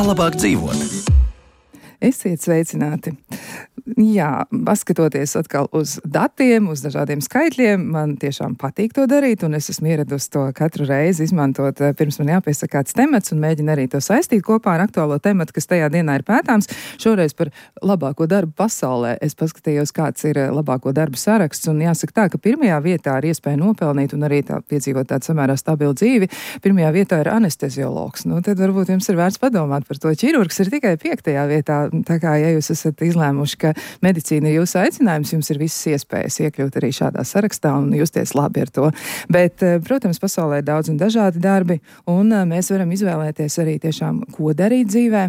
Kā labāk dzīvot? Esiet sveicināti! Jā, paskatoties atkal uz datiem, uz dažādiem skaitļiem, man tiešām patīk to darīt, un es esmu ieradusi to katru reizi izmantot, pirms man jāpiesaka kāds temats, un mēģinu arī to saistīt kopā ar aktuālo tematu, kas tajā dienā ir pētāms. Šoreiz par labāko darbu pasaulē. Es paskatījos, kāds ir labāko darbu saraksts, un jāsaka tā, ka pirmajā vietā ir iespēja nopelnīt un arī tā piedzīvot tādu samērā stabilu dzīvi. Pirmajā vietā ir anesteziologs. Nu, tad varbūt jums ir vērts padomāt par to. Ķirurgs ir tikai 5. vietā. Tā kā, ja jūs esat izlēmuši, ka medicīna ir jūsu aicinājums, jums ir visas iespējas iekļūt arī šādā sarakstā un justies labi ar to. Bet, protams, pasaulē ir daudz un dažādi darbi, un mēs varam izvēlēties arī tiešām, ko darīt dzīvē.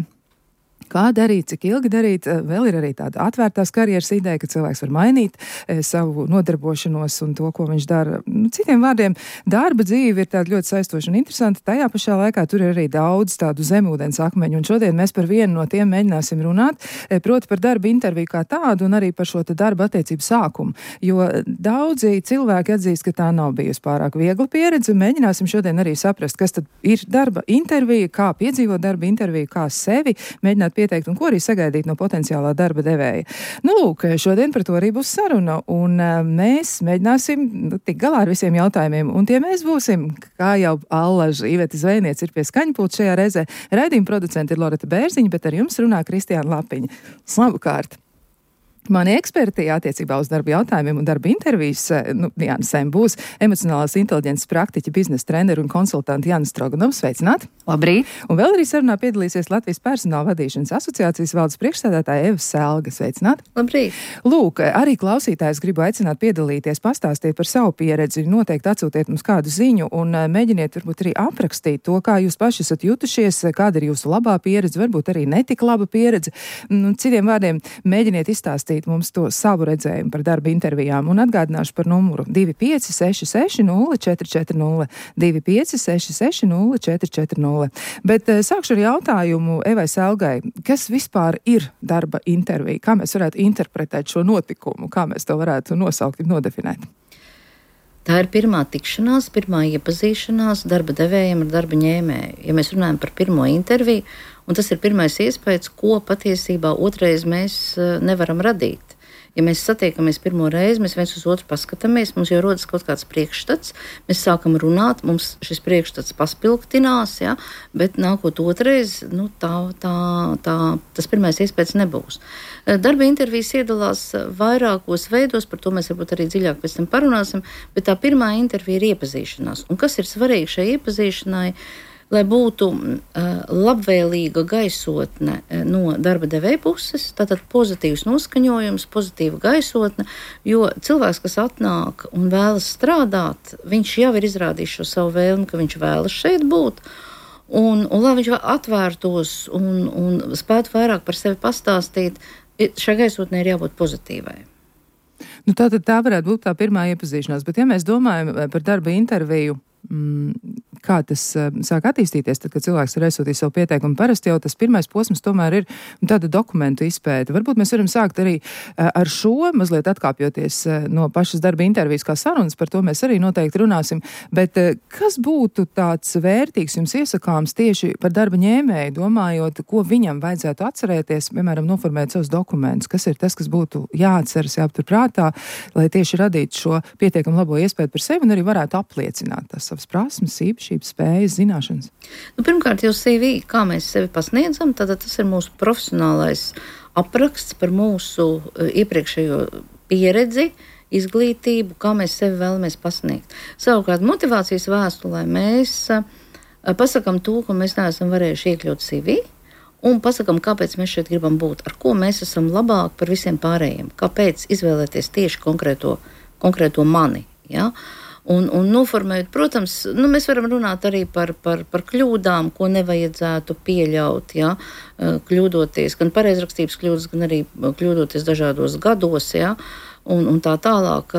Kā darīt, cik ilgi darīt, vēl ir arī tāda atvērtās karjeras ideja, ka cilvēks var mainīt savu nodarbošanos un to, ko viņš dara. Citiem vārdiem, darba dzīve ir tāda ļoti saistoša un interesanta, tajā pašā laikā tur ir arī daudz tādu zemūdens akmeņu, un šodien mēs par vienu no tiem mēģināsim runāt, proti par darba interviju kā tādu un arī par šo darba attiecību sākumu, jo daudzi cilvēki atzīst, ka tā nav bijusi pārāk viegla pieredze, mēģināsim šodien arī saprast, kas tad ir darba intervija, kā piedzīvot darba interviju, kā sevi mēģināt pieteikt un ko arī sagaidīt no potenciālā darba devēja. Nu, lūk, šodien par to arī būs saruna, un mēs mēģināsim tikt galā ar visiem jautājumiem, un tie mēs būsim, kā jau Allaža Iveta Zvejniece ir pie skaņpulta šajā reizē. Raidījuma producenti ir Loreta Bērziņa, bet ar jums runā Kristiāna Lapiņa. Slavukārt! Mani eksperti attiecībā uz darba jautājumiem un darba intervijas, Jānis Sem būs emocionālās inteliģences praktiķi, biznesa treneri un konsultanti Jānis Stroganovs. Sveicināt! Labrīt! Un vēl arī sarunā piedalīsies Latvijas personāla vadīšanas asociācijas valdes priekšsēdētāja Eva Selga. Sveicināt! Labrīt! Lūk, arī klausītājs gribu aicināt piedalīties, pastāstiet par savu pieredzi, noteikti atsūtiet mums kādu ziņu un mēģiniet varbūt arī aprakstīt to, kā jūs paši esat jutušies, kāda ir jūsu labā pieredze, varbūt arī netik laba pieredze. Citiem vārdiem, mēģiniet izstāstīt mums to savu redzējumu par darba intervijām un atgādināšu par numuru 25660440, 25660440. Bet sākšu ar jautājumu Evai Selgai. Kas vispār ir darba intervija? Kā mēs varētu interpretēt šo notikumu? Kā mēs to varētu nosaukt un nodefinēt? Tā ir pirmā tikšanās, pirmā iepazīšanās darba devējiem ar darba ņēmēju. Ja mēs runājam par pirmo interviju, un tas ir pirmais iespējas, ko patiesībā otrais mēs nevaram radīt. Ja mēs satiekamies pirmo reizi, mēs viens uz otru paskatāmies, mums jau rodas kaut kāds priekšstats, mēs sākam runāt, mums šis priekšstats paspilgtinās, ja, bet nākot otrais, tas pirmais iespējas nebūs. Darba intervijas iedalās vairākos veidos, par to mēs varbūt arī dziļāk pēc tam parunāsim, bet tā pirmā intervija ir iepazīšanās. Un kas ir svarīgi šai iepazīšanai? Lai būtu labvēlīga gaisotne no darba devēja puses, tātad pozitīvs noskaņojums, pozitīva gaisotne, jo cilvēks, kas atnāk un vēlas strādāt, viņš jau ir izrādījis šo savu vēlmi, ka viņš vēlas šeit būt, un lai viņš atvērtos un spētu vairāk par sevi pastāstīt, šai gaisotnē ir jābūt pozitīvai. Tātad tā varētu būt tā pirmā iepazīšanās, bet ja mēs domājam par darba interviju, kā tas sāk attīstīties, tad, kad cilvēks ir aizsūtījis savu pieteikumu, parasti jau tas pirmais posms tomēr ir tāda dokumentu izpēta. Varbūt mēs varam sākt arī ar šo, mazliet atkāpjoties no pašas darba intervijas kā sarunas, par to mēs arī noteikti runāsim, bet kas būtu tāds vērtīgs jums iesakāms tieši par darba ņēmēju, domājot, ko viņam vajadzētu atcerēties, piemēram, noformēt savus dokumentus, kas ir tas, kas būtu jāatceras, jāaptur prātā, lai tieši radītu šo pietiekami labo iespēju par sevi un arī varētu apliecināt tas savas prasmes, īpašības, spējas, zināšanas? Pirmkārt, jau CV, kā mēs sevi pasniedzam, tad tas ir mūsu profesionālais apraksts par mūsu iepriekšējo pieredzi, izglītību, kā mēs sevi vēlamies pasniegt. Savukārt, motivācijas vēstulē mēs pasakam to, ko mēs neesam varējuši iekļaut CV, un pasakam, kāpēc mēs šeit gribam būt, ar ko mēs esam labāk par visiem pārējiem, kāpēc izvēlēties tieši konkrēto mani, ja? Un noformējot, protams, mēs varam runāt arī par kļūdām, ko nevajadzētu pieļaut, ja, kļūdoties, gan pareizrakstības kļūdas, gan arī kļūdoties dažādos gados, ja, un tā tālāk.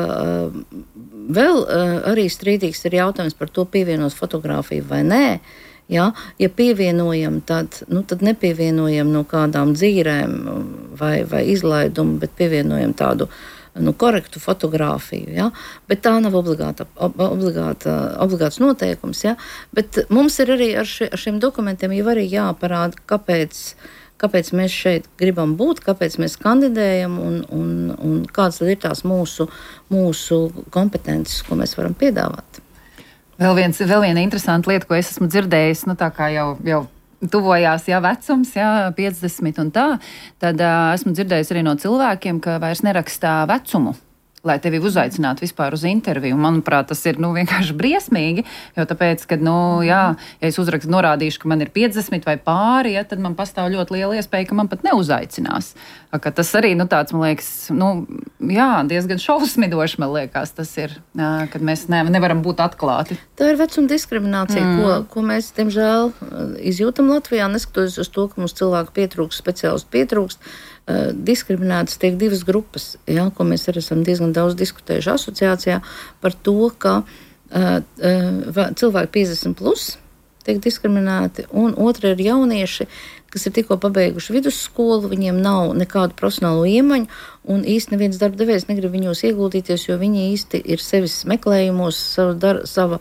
Vēl arī strīdīgs ir jautājums par to, pievienot fotogrāfiju vai nē. Ja pievienojam, tad nepievienojam no kādām dzīrēm vai izlaidumu, bet pievienojam tādu korektu fotogrāfiju, ja? Bet tā nav obligāts noteikums. Ja? Bet mums ir arī ar šiem dokumentiem jau arī jāparāda, kāpēc mēs šeit gribam būt, kāpēc mēs kandidējam un kādas tad ir tās mūsu kompetences, ko mēs varam piedāvāt. Vēl viena interesanta lieta, ko es esmu dzirdējis, tā kā jau tuvojās vecums, 50 un tā, tad esmu dzirdējis arī no cilvēkiem, ka vairs nerakstā vecumu, lai tevi uzaicinātu vispār uz interviju. Manuprāt, tas ir vienkārši briesmīgi, jo tāpēc, kad, ja es norādīšu, ka man ir 50 vai pāri, tad man pastāv ļoti liela iespēja, ka man pat neuzaicinās. Ka tas arī, tāds, man liekas, diezgan šausminoši, man liekas, tas ir, kad mēs nevaram būt atklāti. Tā ir vecuma diskriminācija, ko mēs, diemžēl, izjūtam Latvijā, neskatoties uz to, ka mums cilvēku pietrūkst, speciālistu pietrūkst. Diskriminētas tiek divas grupas, ko mēs arī esam diezgan daudz diskutējuši asociācijā par to, ka cilvēki 50 plus tiek diskriminēti, un otra ir jaunieši, kas ir tikko pabeiguši vidusskolu, viņiem nav nekādu profesionālo iemaņu, un īsti neviens darbdevējs negrib viņos ieguldīties, jo viņi īsti ir sevis meklējumos, sava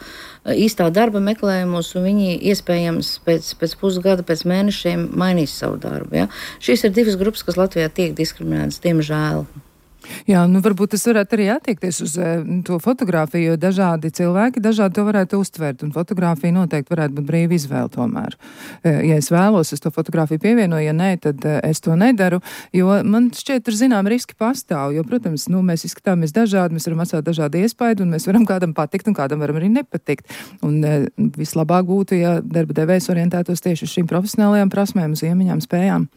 īstā darba meklējumos, un viņi iespējams pēc pusgada, pēc mēnešiem mainīs savu darbu. Ja? Šīs ir divas grupas, kas Latvijā tiek diskriminētas, diemžēl. Jā, varbūt tas varētu arī attiekties uz to fotogrāfiju, jo dažādi cilvēki dažādi to varētu uztvert, un fotogrāfija noteikti varētu būt brīva izvēle tomēr. Ja es vēlos, es to fotogrāfiju pievienoju, ja nē, tad es to nedaru, jo man šķiet, tur zinām riski pastāv, jo, protams, mēs izskatāmies dažādi, mēs varam atstāt dažādi iespaidu, un mēs varam kādam patikt, un kādam varam arī nepatikt. Un vislabāk būtu, ja darba devējs orientētos tieši uz šīm profesionālajām prasmēm, uz iemaņām, spējām.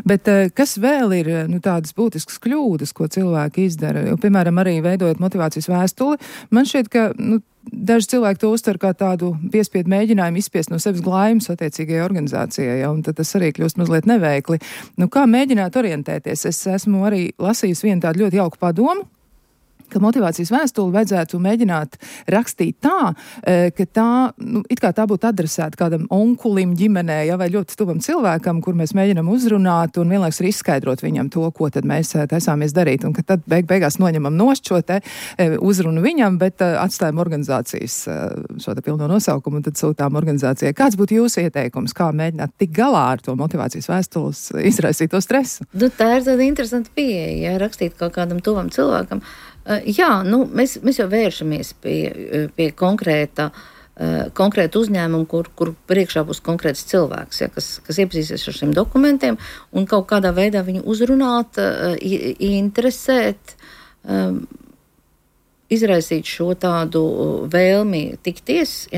Bet kas vēl ir tādas būtiskas kļūdas, ko cilvēki izdara? Jo, piemēram, arī veidojot motivācijas vēstuli, man šķiet, ka daži cilvēki to uztver kā tādu piespiedu mēģinājumu izspiest no sevis glājumus attiecīgajai organizācijai, un tad tas arī kļūst mazliet neveikli. Kā mēģināt orientēties? Es esmu arī lasījusi vienu tādu ļoti jauku padomu, ka motivācijas vēstuli vajadzētu mēģināt rakstīt tā, ka tā, it kā tā būtu adresēta kādam onkulim ģimenē, vai ļoti tuvam cilvēkam, kur mēs mēģinam uzrunāt un vienlaikus arī izskaidrot viņam to, ko tad mēs taisāmies darīt, un ka tad beigās noņemam nost šo te uzrunu viņam, bet atstājam organizācijas šo te pilno nosaukumu un tad sūtām organizācijai. Kāds būtu jūsu ieteikums, kā mēģināt tik galā ar to motivācijas vēstules izraisīto stresu? Tā ir tāda interesanta pieeja, rakstīt kaut kādam tuvam cilvēkam. Jā, mēs jau vēršamies pie konkrēta uzņēmuma, kur priekšā būs konkrēts cilvēks, kas iepazīsies ar šiem dokumentiem un kaut kādā veidā viņu uzrunāt, interesēt, izraisīt šo tādu vēlmi tikties,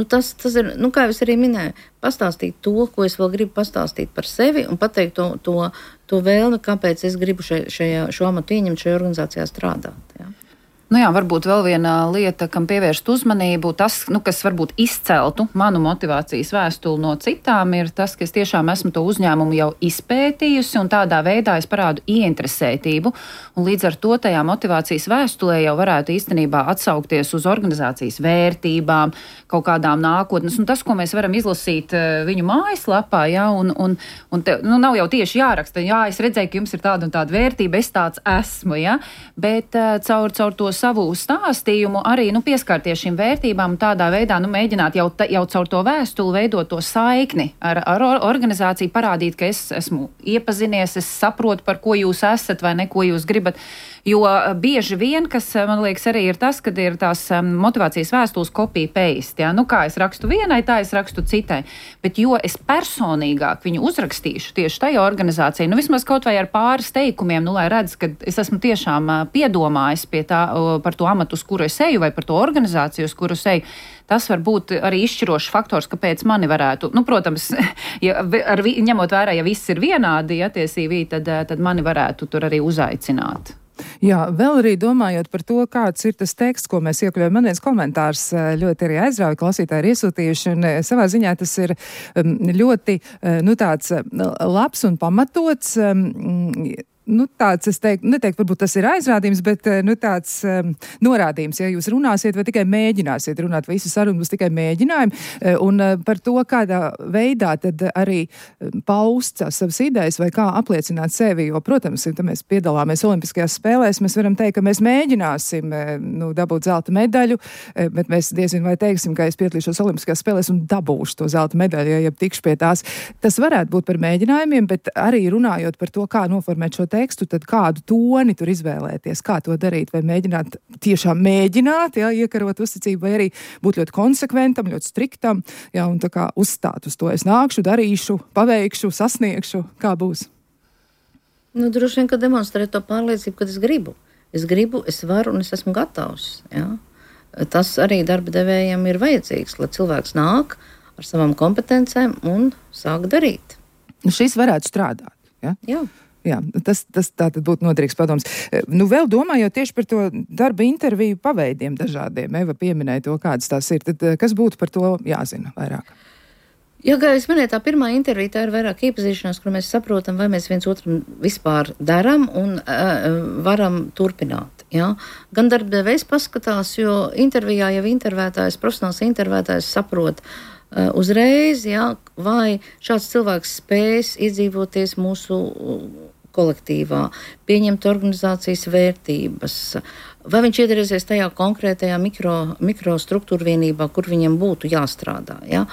tas ir, kā jau es arī minēju, pastāstīt to, ko es vēl gribu pastāstīt par sevi un pateikt to vēlmi, kāpēc es gribu šo amatu ieņemt, šajā organizācijā strādāt. Varbūt vēl viena lieta, kam pievērst uzmanību, tas, kas varbūt izceltu manu motivācijas vēstuli no citām, ir tas, ka es tiešām esmu to uzņēmumu jau izpētījusi un tādā veidā es parādu ieinteresētību. Un līdz ar to tajā motivācijas vēstulē jau varētu īstenībā atsaukties uz organizācijas vērtībām, kaut kādām nākotnes. Un tas, ko mēs varam izlasīt viņu mājaslapā, nav jau tieši jāraksta, es redzēju, ka jums ir tāda un tāda vērtība, es tāds esmu, bet caur to savu stāstījumu arī pieskarties šīm vērtībām un tādā veidā mēģināt jau caur to vēstuli veidot to saikni ar organizāciju, parādīt, ka es esmu iepazinies, es saprotu, par ko jūs esat vai ne, ko jūs gribat. Jo bieži vien, kas man liekas arī ir tas, kad ir tās motivācijas vēstules copy-paste. Kā es rakstu vienai, tā es rakstu citai. Bet jo es personīgāk viņu uzrakstīšu tieši tajā organizācijā, vismaz kaut vai ar pāris teikumiem, lai redz, ka es esmu tiešām piedomājis pie tā, par to amatu, uz kuru es eju, vai par to organizāciju, uz kuru es eju. Tas var būt arī izšķirošs faktors, kāpēc mani varētu, protams, ņemot vērā, ja viss ir vienādi attiecībā, tad mani varētu tur arī uzaicināt. Jā, vēl arī domājot par to, kāds ir tas teksts, ko mēs iekļaujam. Man viens komentārs ļoti arī aizrauja, klausītāji ir iesūtījuši, un savā ziņā tas ir ļoti, tāds labs un pamatots. tāds, es neteiktu, varbūt tas ir aizrādījums, bet tāds norādījums, ja jūs runāsiet vai tikai mēģināsiet runāt, vai visa saruna būs tikai mēģinājumi, un par to, kādā veidā tad arī paust savas idejas vai kā apliecināt sevi, jo, protams, ja mēs piedalāmies Olimpiskajās spēlēs, mēs varam teikt, ka mēs mēģināsim dabūt zelta medaļu, bet mēs diezin vai teiksim, ka es piedalīšos Olimpiskajās spēlēs un dabūšu to zelta medaļu, ja tikšu pie tās. Tas varētu būt par mēģinājumiem, bet arī runājot par to, kā noformēt šo tekstu, tad kādu toni tur izvēlēties, kā to darīt, vai mēģināt tiešām mēģināt, ja, iekarot uzticību, vai arī būt ļoti konsekventam, ļoti striktam, ja, un tā kā uzstāt uz to. Es nākšu, darīšu, paveikšu, sasniegšu, kā būs. Droši vien, ka demonstrēt to pārliecību, kad es gribu. Es gribu, es varu un es esmu gatavs. Ja? Tas arī darba devējiem ir vajadzīgs, lai cilvēks nāk ar savām kompetencēm un sāk darīt. Šis varētu strādāt. Ja? Jā, tas tātad būtu noderīgs padoms. Vēl domājot tieši par to darba interviju paveidiem dažādiem, Eva pieminēja to, kādas tās ir, tad kas būtu par to jāzina vairāk? Jā, kā es minēju, tā pirmā intervija, tā ir vairāk iepazīšanās, kur mēs saprotam, vai mēs viens otram vispār daram un varam turpināt. Ja? Gan darbdevējs paskatās, jo intervijā jau intervētājs, profesionāls intervētājs saprot uzreiz, ja, vai šāds cilvēks spēs iedzīvoties mūsu kolektīvā, pieņemt organizācijas vērtības, vai viņš iedarēsies tajā konkrētajā mikrostruktūra vienībā, kur viņam būtu jāstrādā. Ja?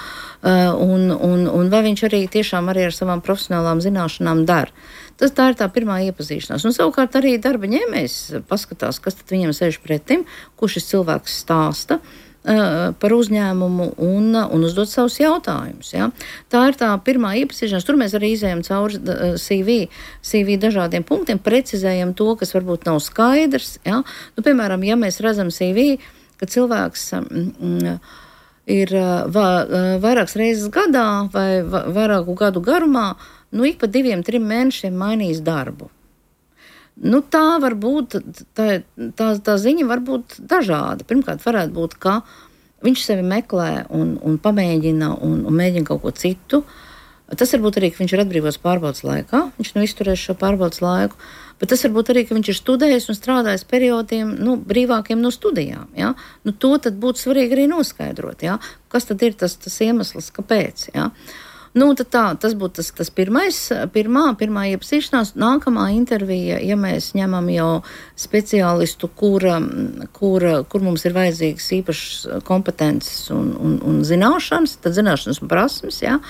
Un vai viņš arī tiešām arī ar savām profesionālām zināšanām dara. Tā ir tā pirmā iepazīšanās. Un savukārt arī darba ņēmējs paskatās, kas tad viņam sēž pretim, ko šis cilvēks stāsta par uzņēmumu un uzdot savus jautājumus. Ja? Tā ir tā pirmā iepazīšanās. Tur mēs arī izējam cauri CV dažādiem punktiem, precizējam to, kas varbūt nav skaidrs. Ja? Piemēram, ja mēs redzam CV, ka cilvēks ir vairākas reizes gadā vai vairāku gadu garumā, ik pa 2-3 mēnešiem mainījis darbu. Tā var būt, tā ziņa var būt dažāda. Pirmkārt, varētu būt, ka viņš sevi meklē un pamēģina un mēģina kaut ko citu. Tas varbūt arī, ka viņš ir atbrīvots pārbaudas laikā, viņš izturēs šo pārbaudas laiku, bet tas varbūt arī, ka viņš ir studējis un strādājis periodiem brīvākiem no studijām. Ja? To tad būtu svarīgi arī noskaidrot, ja? Kas tad ir tas iemesls, kāpēc. Ja? Tas būtu tas pirmā iepazīšanās. Nākamā intervija, ja mēs ņemam jau speciālistu, kur mums ir vajadzīgas īpašas kompetences un zināšanas, tad zināšanas un prasmes, ja,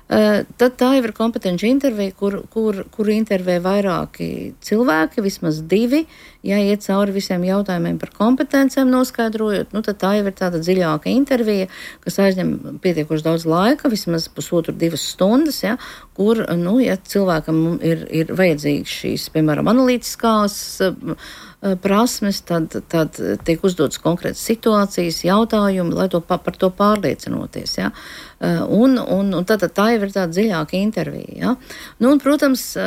tad tā jau ir kompetenci intervija, kur intervē vairāki cilvēki, vismaz 2, ja iet cauri visiem jautājumiem par kompetencēm noskaidrojot, tad tā jau ir tāda dziļāka intervija, kas aizņem pietiekoši daudz laika, vismaz 1,5–2 stundas, ja, kur, ja cilvēkam ir vajadzīgs šīs, piemēram, analītiskās prasmes, tad tiek uzdotas konkrētas situācijas, jautājumi, lai par to pārliecinoties. Ja? Un tā jau ir tāda dziļāka intervija. Ja? Un, protams,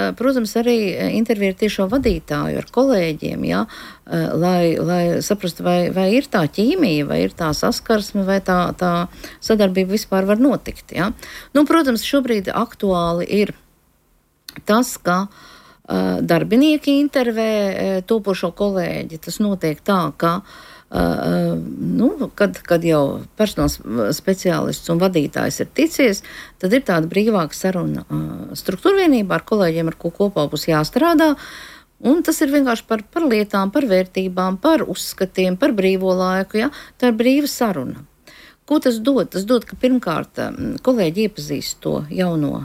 arī intervija ar tiešo vadītāju, ar kolēģiem, ja? Lai saprastu, vai ir tā ķīmija, vai ir tā saskarsme, vai tā sadarbība vispār var notikt. Ja? Protams, šobrīd aktuāli ir tas, ka darbinieki intervē topošo kolēģi. Tas notiek tā, ka kad jau personāls speciālists un vadītājs ir ticies, tad ir tāda brīvāka saruna struktūra vienībā ar kolēģiem, ar ko kopā būs jāstrādā. Un tas ir vienkārši par lietām, par vērtībām, par uzskatiem, par brīvo laiku. Ja? Tā ir brīva saruna. Ko tas dod? Tas dod, ka pirmkārt kolēģi iepazīst to jauno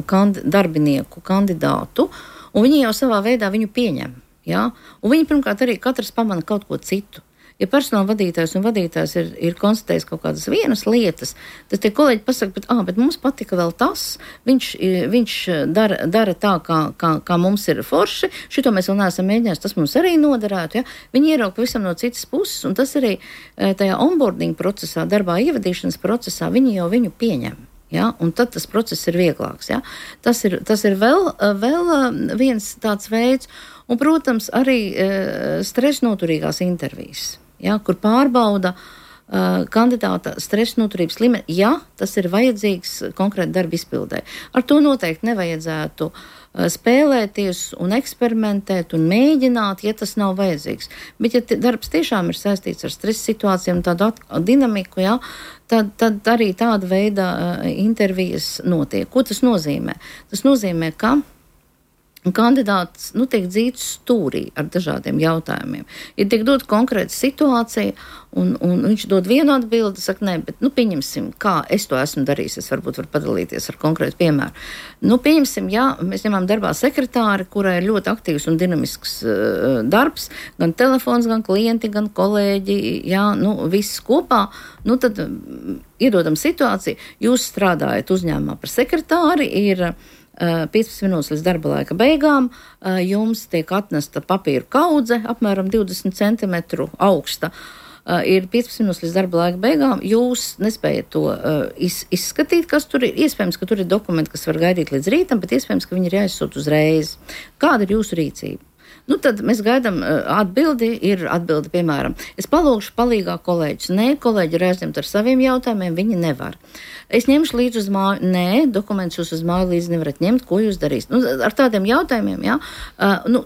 darbinieku kandidātu, un viņi jau savā veidā viņu pieņem. Ja? Un viņi pirmkārt arī katrs pamana kaut ko citu. Ja personāla vadītājs un vadītājs ir konstatējis kaut kādas vienas lietas, tad tie kolēģi pasaka, bet mums patika vēl tas, viņš dara tā, kā mums ir forši, šito mēs vēl neesam mēģinājuši, tas mums arī noderētu. Ja? Viņi ierauga pavisam no citas puses, un tas arī tajā onboarding procesā, darbā ievadīšanas procesā, viņi jau viņu pieņem. Ja? Un tad tas process ir vieglāks. Ja? Tas ir vēl viens tāds veids, un, protams, arī stresa noturīgās intervijas. Ja, kur pārbauda kandidāta stresa noturības līmeni, ja tas ir vajadzīgs konkrēti darba izpildē. Ar to noteikti nevajadzētu spēlēties un eksperimentēt un mēģināt, ja tas nav vajadzīgs. Bet ja darbs tiešām ir saistīts ar stresa situācijām, tādu dinamiku, jā, tad arī tāda veida intervijas notiek. Ko tas nozīmē? Tas nozīmē, ka kandidāts tiek dzīts stūrī ar dažādiem jautājumiem. Ja tiek dot konkrēta situācija, un viņš dod vienu atbildi, saka, nē, bet pieņemsim, kā es to esmu darījis, es varbūt varu padalīties ar konkrētu piemēru. Pieņemsim, jā, mēs ņemam darbā sekretāri, kurai ir ļoti aktīvs un dinamisks darbs, gan telefons, gan klienti, gan kolēģi, jā, viss kopā, tad iedodam situāciju, jūs strādājat uzņēmumā par sekretāri, ir 15 minūtes līdz darba laika beigām, jums tiek atnesta papīra kaudze, apmēram 20 cm augsta. Ir 15 minūtes līdz darba laika beigām, jūs nespējat to izskatīt, kas tur ir. Iespējams, ka tur ir dokumenti, kas var gaidīt līdz rītam, bet iespējams, ka viņi ir jāizsūt uzreiz. Kāda ir jūsu rīcība? Tad mēs gaidām atbildi, piemēram, es palūgšu palīgā kolēģis. Nē, kolēģi ir aizņemti ar saviem jautājumiem, viņi nevar. Es ņemšu līdzi uz māju. Nē, dokumentus jūs uz māju līdzi nevarat ņemt, ko jūs darīsiet. Ar tādiem jautājumiem, jā,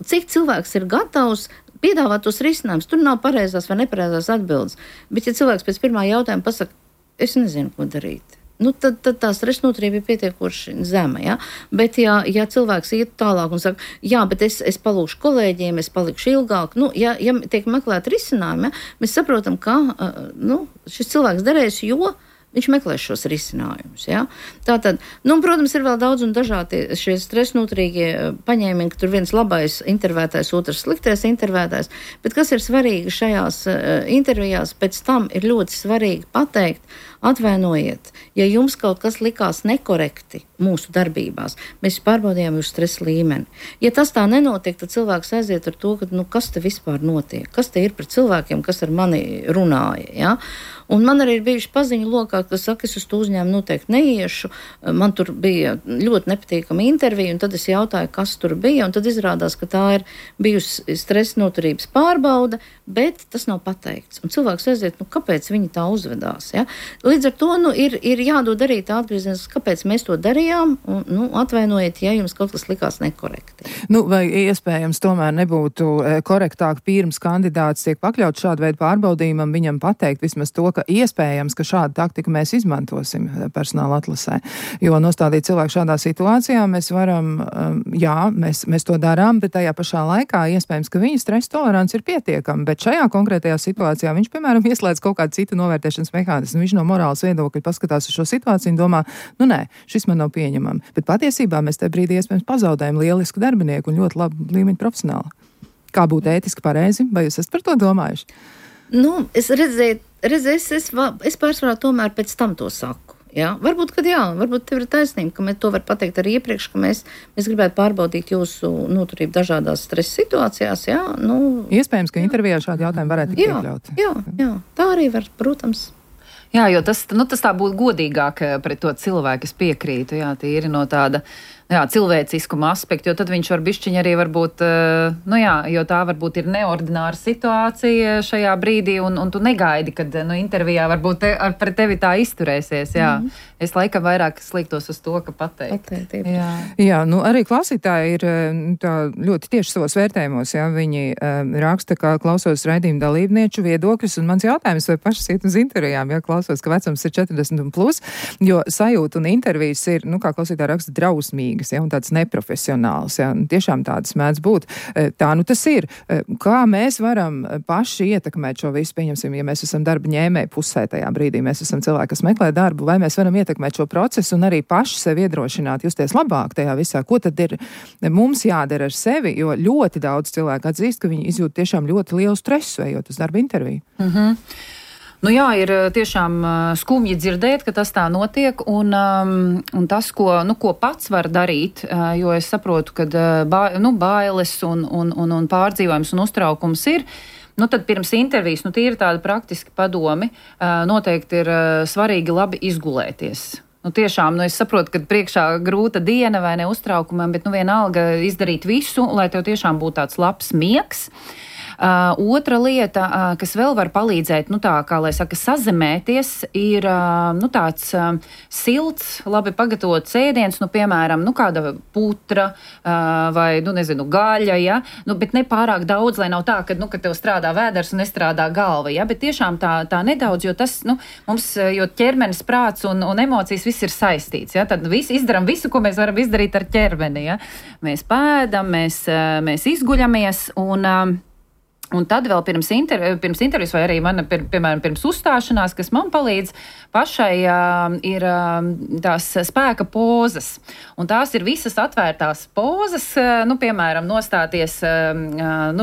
cik cilvēks ir gatavs piedāvāt tos risinājumus, tur nav pareizās vai nepareizās atbildes. Bet ja cilvēks pēc pirmā jautājuma pasaka, es nezinu, ko darīt. Tad tā stresa noturība ir pietiekoši zema. Ja? Bet, ja cilvēks iet tālāk un saka, jā, bet es palūkšu kolēģiem, es palikšu ilgāk, ja tiek meklēt risinājumi, ja, mēs saprotam, ka šis cilvēks darēs, jo viņš meklēs šos risinājumus. Ja? Tātad, protams, ir vēl daudz un dažādi šie stresa noturīgie paņēmieni, ka tur viens labais intervētājs, otrs sliktais intervētājs, bet kas ir svarīgi šajās intervijās, pēc tam ir ļoti svarīgi pateikt, atvainojiet, ja jums kaut kas likās nekorekti mūsu darbībās, mēs pārbaudījām jūsu stresa līmeni. Ja tas tā nenotiek, tad cilvēks aiziet ar to, ka, kas te vispār notiek, kas te ir par cilvēkiem, kas ar mani runāja, ja? Un man arī ir bijuši paziņu lokā, kas saka, es uz to uzņēmumu noteikti neiešu, man tur bija ļoti nepatīkama intervija, un tad es jautāju, kas tur bija, un tad izrādās, ka tā ir bijusi stresa noturības pārbaude, bet tas nav pateikts. Un cilvēks aiziet, kāpēc viņi tā uzvedās, ja? Līdz ar to ir jādod arī tā atgrieziens, kāpēc mēs to darījām, un atvainojiet, ja jums kaut kas likās nekorekti. Vai iespējams tomēr nebūtu korektāk pirms kandidāts tiek pakļauts šādu veidu pārbaudījumam, viņam pateikt vismaz to, ka iespējams, ka šādu taktiku mēs izmantosim personāla atlasē. Jo nostādīt cilvēku šādā situācijā mēs varam, mēs to darām, bet tajā pašā laikā iespējams, ka viņa stresa tolerants ir pietiekama, bet šajā konkrētajā situācijā viņš, piemēram, ieslēdz kaut kādu citu novērtēšanas mehānismu. Viņš no morāls viedokļa paskatās uz šo situāciju un domā, nē, šis man nav pieņemami. Bet patiesībā mēs tajā brīdī iespējams pazaudējam lielisku darbinieku un ļoti labu līmeņu profesionāli. Kā būtu ētiski pareizi? Vai jūs esat par to domājuši? Es redzēju, es pārsvarā tomēr pēc tam to saku. Jā? Varbūt tev ir taisnība, ka mēs to var pateikt arī iepriekš, ka mēs gribētu pārbaudīt jūsu noturību dažādās stresa situācijās. Jā? Iespējams, ka intervijā šādi jautājumi varētu tikt iekļauti. Jā, tā arī var, protams. Jā, jo tas tā būtu godīgāk pret to cilvēku, es piekrītu, jā, tīri no tāda cilvēciskuma aspekta, jo tad viņš var bišķiņ arī varbūt, jo tā varbūt ir neordināra situācija šajā brīdī, un tu negaidi, kad intervijā varbūt pret tevi tā izturēsies, jā. Es laikam vairāk sliktos uz to, ka pateikt. Jā, arī klausītāji ir tā ļoti tieši savos vērtējumos, jā, viņi raksta, kā klausos raidījuma dalībnieču viedokļus, un mans jautājums, vai pašas iet uz intervijām, ja klausos, ka vecums ir 40 un plus, jo sajūta un intervijas ir, kā klausītāji raksta, drausmīgi. Ja, un tāds neprofesionāls, ja, tiešām tādas mēdz būt. Tā tas ir. Kā mēs varam paši ietekmēt šo visu, pieņemsim, ja mēs esam darba ņēmēji pusē tajā brīdī, mēs esam cilvēki, kas meklē darbu, vai mēs varam ietekmēt šo procesu un arī paši sevi iedrošināt, justies labāk tajā visā. Ko tad ir mums jādara ar sevi, jo ļoti daudz cilvēku atzīst, ka viņi izjūt tiešām ļoti lielu stresu, ejot uz darba interviju. Ir tiešām skumji dzirdēt, ka tas tā notiek, un tas, ko pats var darīt, jo es saprotu, ka bailes un pārdzīvojums un uztraukums ir, tad pirms intervijas, tīri tādi praktiski padomi, noteikti ir svarīgi labi izgulēties. Tiešām, es saprotu, ka priekšā grūta diena vai ne uztraukumam, bet vienalga izdarīt visu, lai tev tiešām būtu tāds labs miegs. Otra lieta, kas vēl var palīdzēt, tā, kā lai saka, sazemēties, ir, tāds silts, labi pagatavots ēdiens, piemēram, kāda putra vai, gaļa, ja, bet ne pārāk daudz, lai nav tā, ka tev strādā vēders un nestrādā galva, ja, bet tiešām tā nedaudz, jo tas, mums, jo ķermenis, prāts un emocijas viss ir saistīts, ja, tad izdaram visu, ko mēs varam izdarīt ar ķermeni, ja. Mēs pēdam, mēs izguļamies un tad vēl pirms intervijas vai arī piemēram, pirms uzstāšanās, kas man palīdz pašai, ir tās spēka pozas. Un tās ir visas atvērtās pozas, piemēram, nostāties,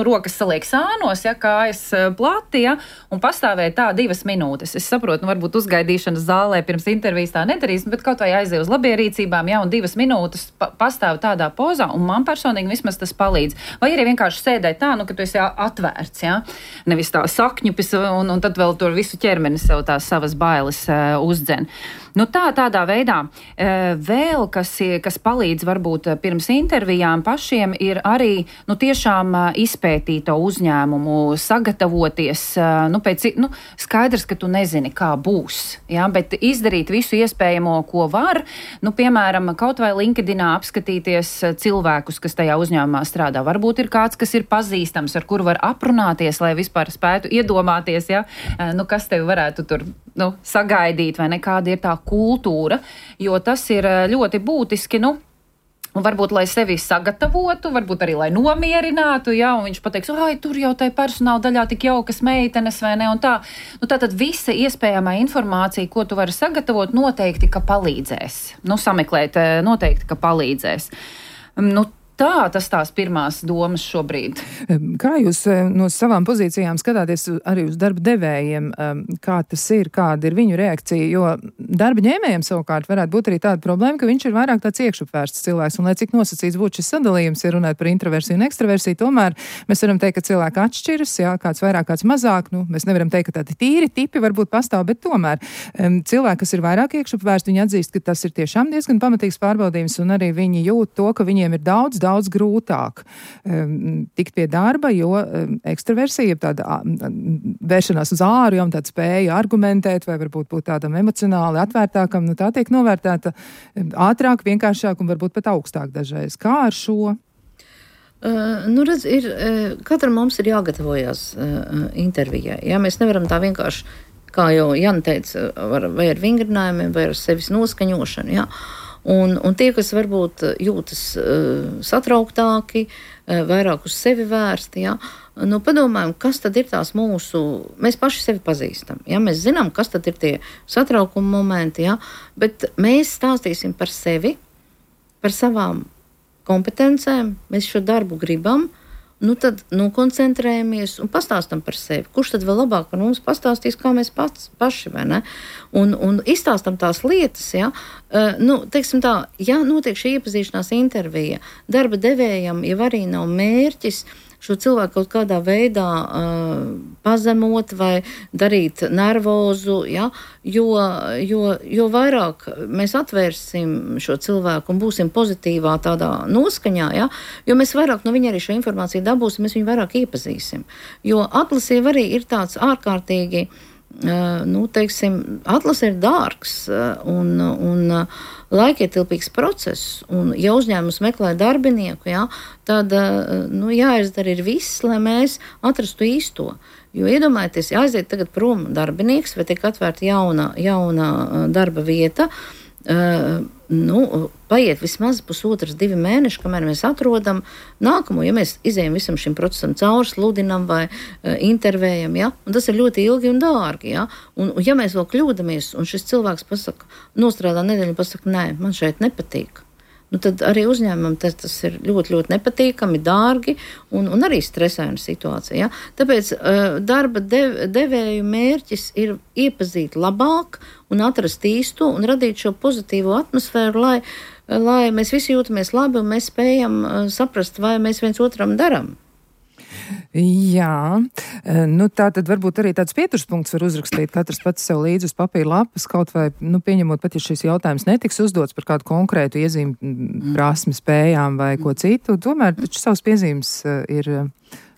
rokas saliek sānos, ja, kājas plati, ja, un pastāvēt tā 2 minūtes. Es saprotu, varbūt uzgaidīšanas zālē pirms intervijas tā nedarīs, bet kaut vai aiziet uz labierīcībām, ja, un 2 minūtes pastāv tādā pozā, un man personīgi vismaz tas palīdz. Vai arī vienkārši sēdēt tā, ka tu esi atvērts. Ja? Nevis tā sakņupis, un tad vēl tur visu ķermeni sev tās savas bailes uzdzen. Tādā veidā vēl, kas palīdz varbūt pirms intervijām pašiem, ir arī tiešām izpētīt to uzņēmumu, sagatavoties, skaidrs, ka tu nezini, kā būs, ja? Bet izdarīt visu iespējamo, ko var, piemēram, kaut vai LinkedInā apskatīties cilvēkus, kas tajā uzņēmumā strādā. Varbūt ir kāds, kas ir pazīstams, ar kuru var aprunāties, lai vispār spētu iedomāties, ja? Kas tevi varētu tur sagaidīt, vai ne, kāda ir tā kultūra, jo tas ir ļoti būtiski, un varbūt, lai sevi sagatavotu, varbūt arī, lai nomierinātu, ja, un viņš pateiks, tur jau tai personāla daļā tik jaukas meitenes, vai ne, un tā. Tātad visa iespējamā informācija, ko tu vari sagatavot, noteikti, ka palīdzēs. Sameklēt, noteikti, ka palīdzēs. Tas tās pirmās domas šobrīd. Kā jūs no savām pozīcijām skatāties arī uz darba devējiem, kā tas ir, kāda ir viņu reakcija, jo darba ņēmējiem savukārt varētu būt arī tāda problēma, ka viņš ir vairāk tāds iekšupvērsts cilvēks, un lai cik nosacīts būtu šis sadalījums, ja runāt par introversiju un ekstraversiju, tomēr mēs varam teikt, ka cilvēki atšķiras, jā, kāds vairāk, kāds mazāk, mēs nevaram teikt, ka tādi tīri tipi varbūt pastāv, bet tomēr cilvēki, kas ir vairāk iekšupvērsti, viņi atzīst, ka tas ir tiešām diezgan pamatīgs pārbaudījums, un arī viņi jūt to, ka viņiem ir daudz grūtāk tikt pie darba, jo ekstraversija, tāda vēršanās uz āru, tāda spēja argumentēt vai varbūt būt tādam emocionāli atvērtākam, tā tiek novērtēta ātrāk, vienkāršāk un varbūt pat augstāk dažreiz. Kā ar šo? Katram mums ir jāgatavojas intervijai. Ja? Mēs nevaram tā vienkārši, kā jau Jana teica, vai ar vingrinājumiem, vai ar sevis noskaņošanu, ja? Un tie, kas varbūt jūtas satrauktāki, vairāk uz sevi vērsti, ja? Padomājam, kas tad ir tās mūsu, mēs paši sevi pazīstam, ja? Mēs zinām, kas tad ir tie satraukuma momenti, ja? Bet mēs stāstīsim par sevi, par savām kompetencēm, mēs šo darbu gribam, tad koncentrējamies un pastāstam par sevi. Kurš tad vēl labāk par mums pastāstīs, kā mēs paši, vai ne? Un izstāstam tās lietas, ja? Teiksim tā, ja notiek šī iepazīšanās intervija, darba devējam jau arī nav mērķis šo cilvēku kaut kādā veidā pazemot vai darīt nervozu, ja? Jo vairāk mēs atvērsim šo cilvēku un būsim pozitīvā tādā noskaņā, ja? Jo mēs vairāk no viņa arī šo informāciju dabūsim, mēs viņu vairāk iepazīsim. Jo atlase arī ir tāds ārkārtīgi, atlase ir dārgs un laikietilpīgs process, un ja uzņēmums meklē darbinieku, ja, tad jāizdara ir viss, lai mēs atrastu īsto. Jo iedomājieties, ja aiziet tagad prom darbinieks vai tiek atvērta jauna darba vieta, paiet vismaz 1,5–2 mēneši, kamēr mēs atrodam nākamo, ja mēs izējam visam šim procesam cauri, sludinam vai intervējam, ja? Un tas ir ļoti ilgi un dārgi, ja? Un ja mēs vēl kļūdamies, un šis cilvēks pasaka, nostrādā nedēļu un pasaka, nē, man šeit nepatīk, tad arī uzņēmumam tas ir ļoti, ļoti nepatīkami, dārgi un arī stresaina situācija. Ja? Tāpēc darba devēju mērķis ir iepazīt labāk un atrast īsto un radīt šo pozitīvo atmosfēru, lai mēs visi jūtamies labi un mēs spējam saprast, vai mēs viens otram daram. Jā, tā tad varbūt arī tāds pieturspunkts var uzrakstīt katrs pats sev līdzi uz papīra lapas, kaut vai, pieņemot pat, ja šis jautājums netiks uzdots par kādu konkrētu iezīmi prasmi, spējām vai ko citu, tomēr taču savas piezīmes ir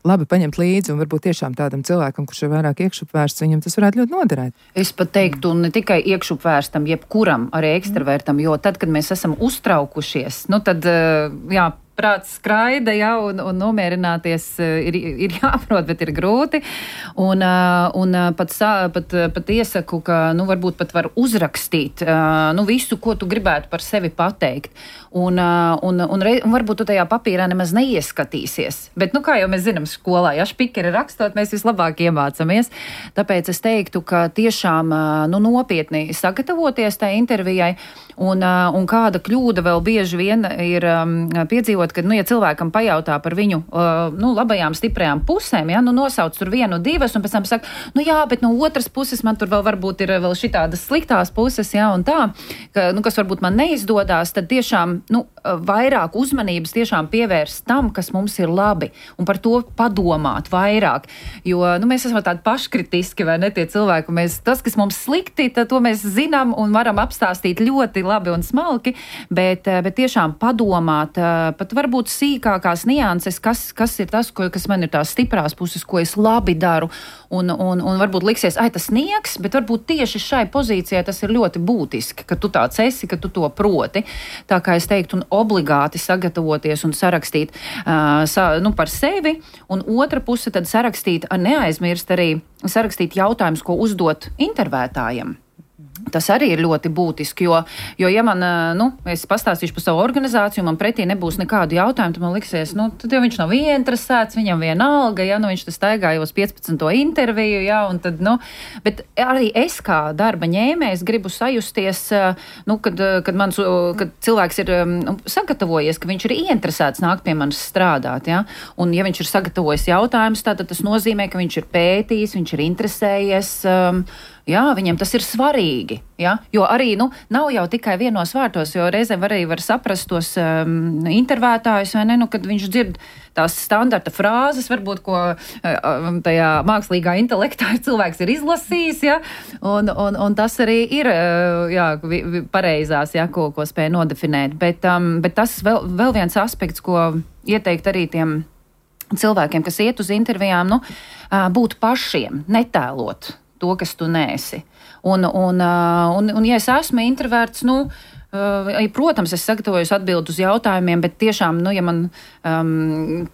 labi paņemt līdzi, un varbūt tiešām tādam cilvēkam, kurš ir vairāk iekšupvērsts, viņam tas varētu ļoti noderēt. Es pat teiktu, ne tikai iekšupvērstam, jebkuram arī ekstravertam, jo tad, kad mēs esam uztraukušies, tad, jā, prāts skraida, ja, un nomierināties ir jāprot, bet ir grūti. Un pat iesaku, ka, varbūt pat var uzrakstīt, visu, ko tu gribētu par sevi pateikt. Un varbūt tu tajā papīrā nemaz neieskatīsies. Bet, kā jau mēs zinām skolā, ja špikeri rakstot, mēs vislabāk iemācamies. Tāpēc es teiktu, ka tiešām, nopietni sagatavoties tai intervijai, un kāda kļūda vēl bieži vien ir piedzīvot, kad, ja cilvēkam pajautā par viņu, labajām, stiprajām pusēm, ja, nosauc tur 1, 2, un pēc tam saka, jā, bet no otras puses man tur vēl varbūt ir vēl šitādas sliktās puses, ja, un tā, ka, kas varbūt man neizdodās, tad tiešām, vairāk uzmanības tiešām pievērst tam, kas mums ir labi, un par to padomāt vairāk, jo, mēs esam tādi paškritiski, vai ne, tie cilvēki, tas, kas mums slikti, tad to mēs zinām un varam apstāstīt ļoti labi un smalki, bet tiešām padomāt, pat varbūt sīkākās nianses, kas ir tas, kas man ir tās stiprās puses, ko es labi daru, un varbūt liksies, tas niegs, bet varbūt tieši šai pozīcijai tas ir ļoti būtiski, ka tu tāds esi, ka tu to proti. Tā kā es teiktu, un obligāti sagatavoties un sarakstīt par sevi, un otra puse tad sarakstīt, neaizmirst arī sarakstīt jautājumus, ko uzdot intervētājiem. Tas arī ir ļoti būtiski, jo ja man, es pastāstīšu par savu organizāciju, man pretī nebūs nekādu jautājumu, tad man liksies, tad jau viņš nav ieinteresēts, viņam vienalga, ja, viņš tas staigā jau uz 15. interviju, ja, un tad, bet arī es kā darba ņēmējs gribu sajusties, kad cilvēks ir sagatavojies, ka viņš ir ieinteresēts nākt pie manis strādāt, ja, un ja viņš ir sagatavojis jautājumus, tad tas nozīmē, ka viņš ir pētījis, viņš ir interesējies, jā, viņam tas ir svarīgi, ja? Jo arī, nav jau tikai vienos vārtos, jo reizēm arī var saprast tos intervētājus, vai ne, kad viņš dzird tās standarta frāzes, varbūt, ko tajā mākslīgā intelektā cilvēks ir izlasījis, ja? Un tas arī ir, jā, pareizās, ja, ko spēj nodefinēt, bet tas vēl viens aspekts, ko ieteikt arī tiem cilvēkiem, kas iet uz intervijām, būt pašiem, netēlot to, kas tu neesi. Un ja es esmu introverts, protams, es sagatavojos atbildu uz jautājumiem, bet tiešām, ja man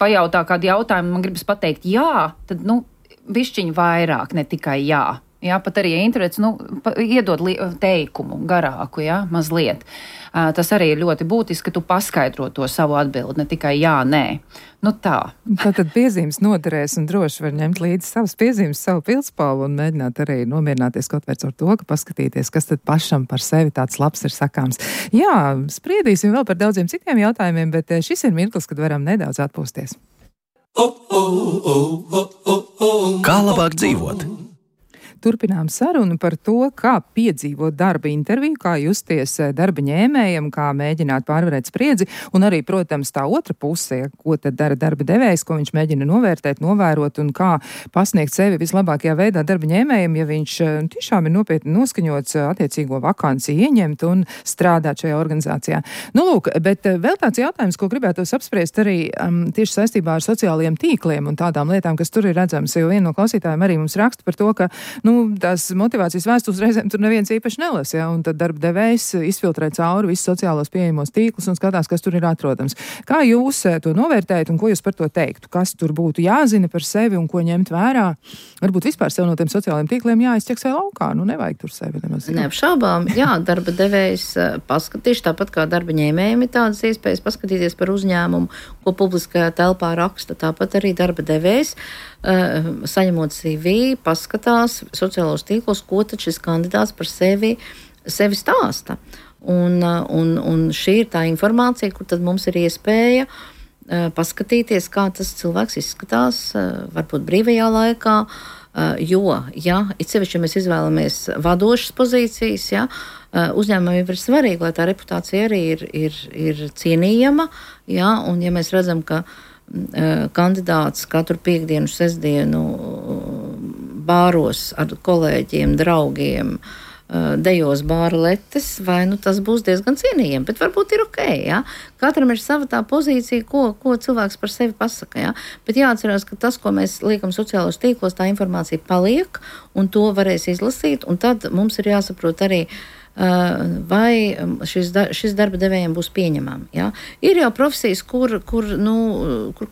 pajautā kādu jautājumu, man gribas pateikt jā, tad, bišķiņ vairāk, ne tikai jā. Jā, pat arī introverts, iedod teikumu garāku, jā, mazliet. Tas arī ir ļoti būtiski, ka tu paskaidro to savu atbildi, ne tikai jā, nē. Tā. Tātad piezīmes noderēs un droši var ņemt līdzi savas piezīmes, savu pildspalvu un mēģināt arī nomierināties kaut vai ar to, ka paskatīties, kas tad pašam par sevi tāds labs ir sakāms. Jā, spriedīsim vēl par daudziem citiem jautājumiem, bet šis ir mirklis, kad varam nedaudz atpūsties. Kā labāk dzīvot? Turpinām sarunu par to, kā piedzīvot darba interviju, kā justies darba ņēmējam, kā mēģināt pārvarēt spriedzi, un arī, protams, tā otra puse, ko tad dara darba devējs, ko viņš mēģina novērtēt, novērot un kā pasniegt sevi vislabākajā veidā darba ņēmējam, ja viņš tiešām ir nopietni noskaņots attiecīgo vakanci ieņemt un strādāt šajā organizācijā. Lūk, bet vēl tāds jautājums, ko gribētos apspriest arī tieši saistībā ar sociālajiem tīkliem un tādām lietām, kas tur ir redzams, jo viena no klausītājiem arī mums raksta par to, ka tās motivācijas vēstules reizēm tur neviens īpaši nelas, ja, un tad darba devējs izfiltrē cauri visus sociālos pieejamos tīklus un skatās, kas tur ir atrodams. Kā jūs to novērtējat un ko jūs par to teiktu? Kas tur būtu jāzina par sevi un ko ņemt vērā? Varbūt vispār sev no tiem sociālajiem tīkliem jāizķeksē laukā, nevajag tur sevi nemaz. Neapšaubām, jā, darba devējs paskatīšu, tāpat kā darba ņēmējiem ir tādas iespējas paskatīties par uzņēmumu, ko publiskajā telpā raksta, tāpat arī darba devējs saņemot CV, paskatās sociālos tīklos, ko tad šis kandidāts par sevi stāsta. Un šī ir tā informācija, kur tad mums ir iespēja paskatīties, kā tas cilvēks izskatās, varbūt brīvajā laikā, jo, ja it sevišķi mēs izvēlamies vadošas pozīcijas, ja, uzņēmumam ir svarīgi, lai tā reputācija arī ir cienījama, ja, un ja mēs redzam, ka kandidāts katru piekdienu, sestdienu bāros ar kolēģiem, draugiem dejos bārletes, vai tas būs diezgan cienījami, bet varbūt ir ok, ja? Katram ir sava tā pozīcija, ko cilvēks par sevi pasaka, ja? Bet jāatcerās, ka tas, ko mēs liekam sociālos tīklos, tā informācija paliek, un to varēs izlasīt, un tad mums ir jāsaprot arī, vai šis darba devējiem būs pieņemami. Ja? Ir jau profesijas, kur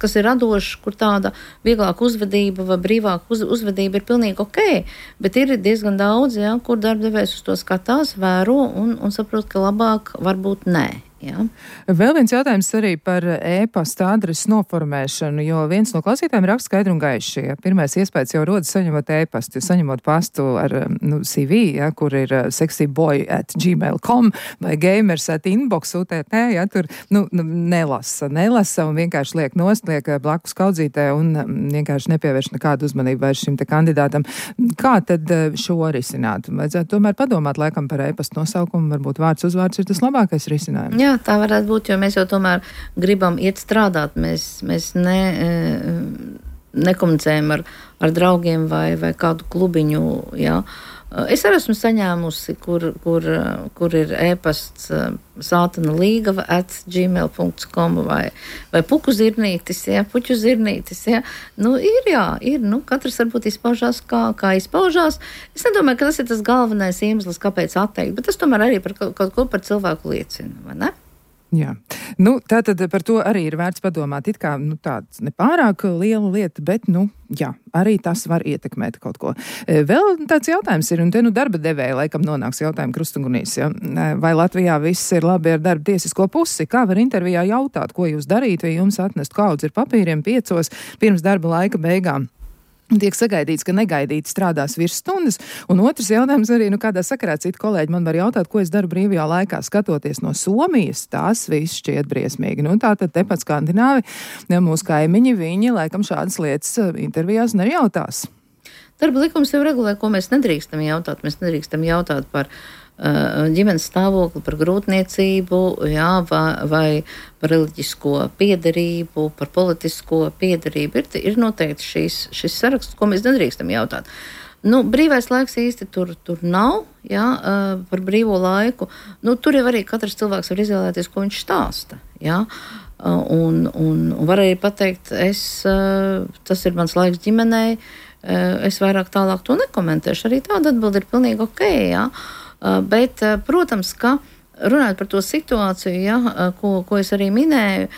kas ir radošs, kur tāda vieglāka uzvedība vai brīvāka uzvedība ir pilnīgi ok, bet ir diezgan daudz, ja, kur darba devējs uz to skatās, vēro un saprot, ka labāk varbūt nē. Ja. Vēl viens jautājums arī par e-pasta adreses noformēšanu, jo viens no klausītājiem raksta skaidri un gaiši. Ja. Pirmais iespējas jau rodas saņemot e-pastu, saņemot pastu ar CV, ja, kur ir sexyboy@gmail.com vai gamers@inbox.ut, ja, tur nelasa un vienkārši liek nost, liek blakus kaudzītē un vienkārši nepievērš nekādu uzmanību vairs šim te kandidātam. Kā tad šo risināt? Vajadzētu tomēr padomāt laikam par e-pastu nosaukumu, varbūt vārds uzvārds ir tas labākais risinājums. Jā, tā varētu būt, jo mēs jau tomēr gribam iet strādāt. Mēs nekomunicējam ar draugiem vai kādu klubiņu. Jā. Es arī esmu saņēmusi, kur ir e-pasts sātana līgava @gmail.com vai puķu zirnītis. Jā. Ir. Katrs varbūt izpaužās, kā izpaužās. Es nedomāju, ka tas ir tas galvenais iemesls, kāpēc atteikt, bet tas tomēr arī par kaut ko par cilvēku liecina, vai ne? Jā. Tātad par to arī ir vērts padomāt. It kā tāds nepārāk liela lieta, bet, jā, arī tas var ietekmēt kaut ko. Vēl tāds jautājums ir, un te darba devēja laikam nonāks jautājumu krustugunīs, ja? Vai Latvijā viss ir labi ar darba tiesisko pusi? Kā var intervijā jautāt, ko jūs darīt, vai jums atnest kaudzi ar papīriem 5 pirms darba laika beigām? Tiek sagaidīts, ka negaidīti strādās virsstundas, un otrs jautājums arī, kādā sakarā citi kolēģi man var jautāt, ko es daru brīvajā laikā, skatoties no Somijas, tās viss šķiet briesmīgi. Tātad tepat Skandināvi, mūsu kaimiņi, viņi laikam šādas lietas intervijās nejautās. Darba likums jau regulē, ko mēs nedrīkstam jautāt. Mēs nedrīkstam jautāt par ģimenes stāvokli, par grūtniecību, jā, vai par reliģisko piederību, par politisko piederību. Ir noteikti šis saraksts, ko mēs nedrīkstam jautāt. Brīvais laiks īsti tur nav, jā, par brīvo laiku. Tur jau arī katrs cilvēks var izvēlēties, ko viņš stāsta. Jā. Un var arī pateikt, tas ir mans laiks ģimenei, es vairāk tālāk to nekomentēšu. Arī tāda atbilde ir pilnīgi ok, jā. Bet, protams, ka runājot par to situāciju, ja, ko es arī minēju,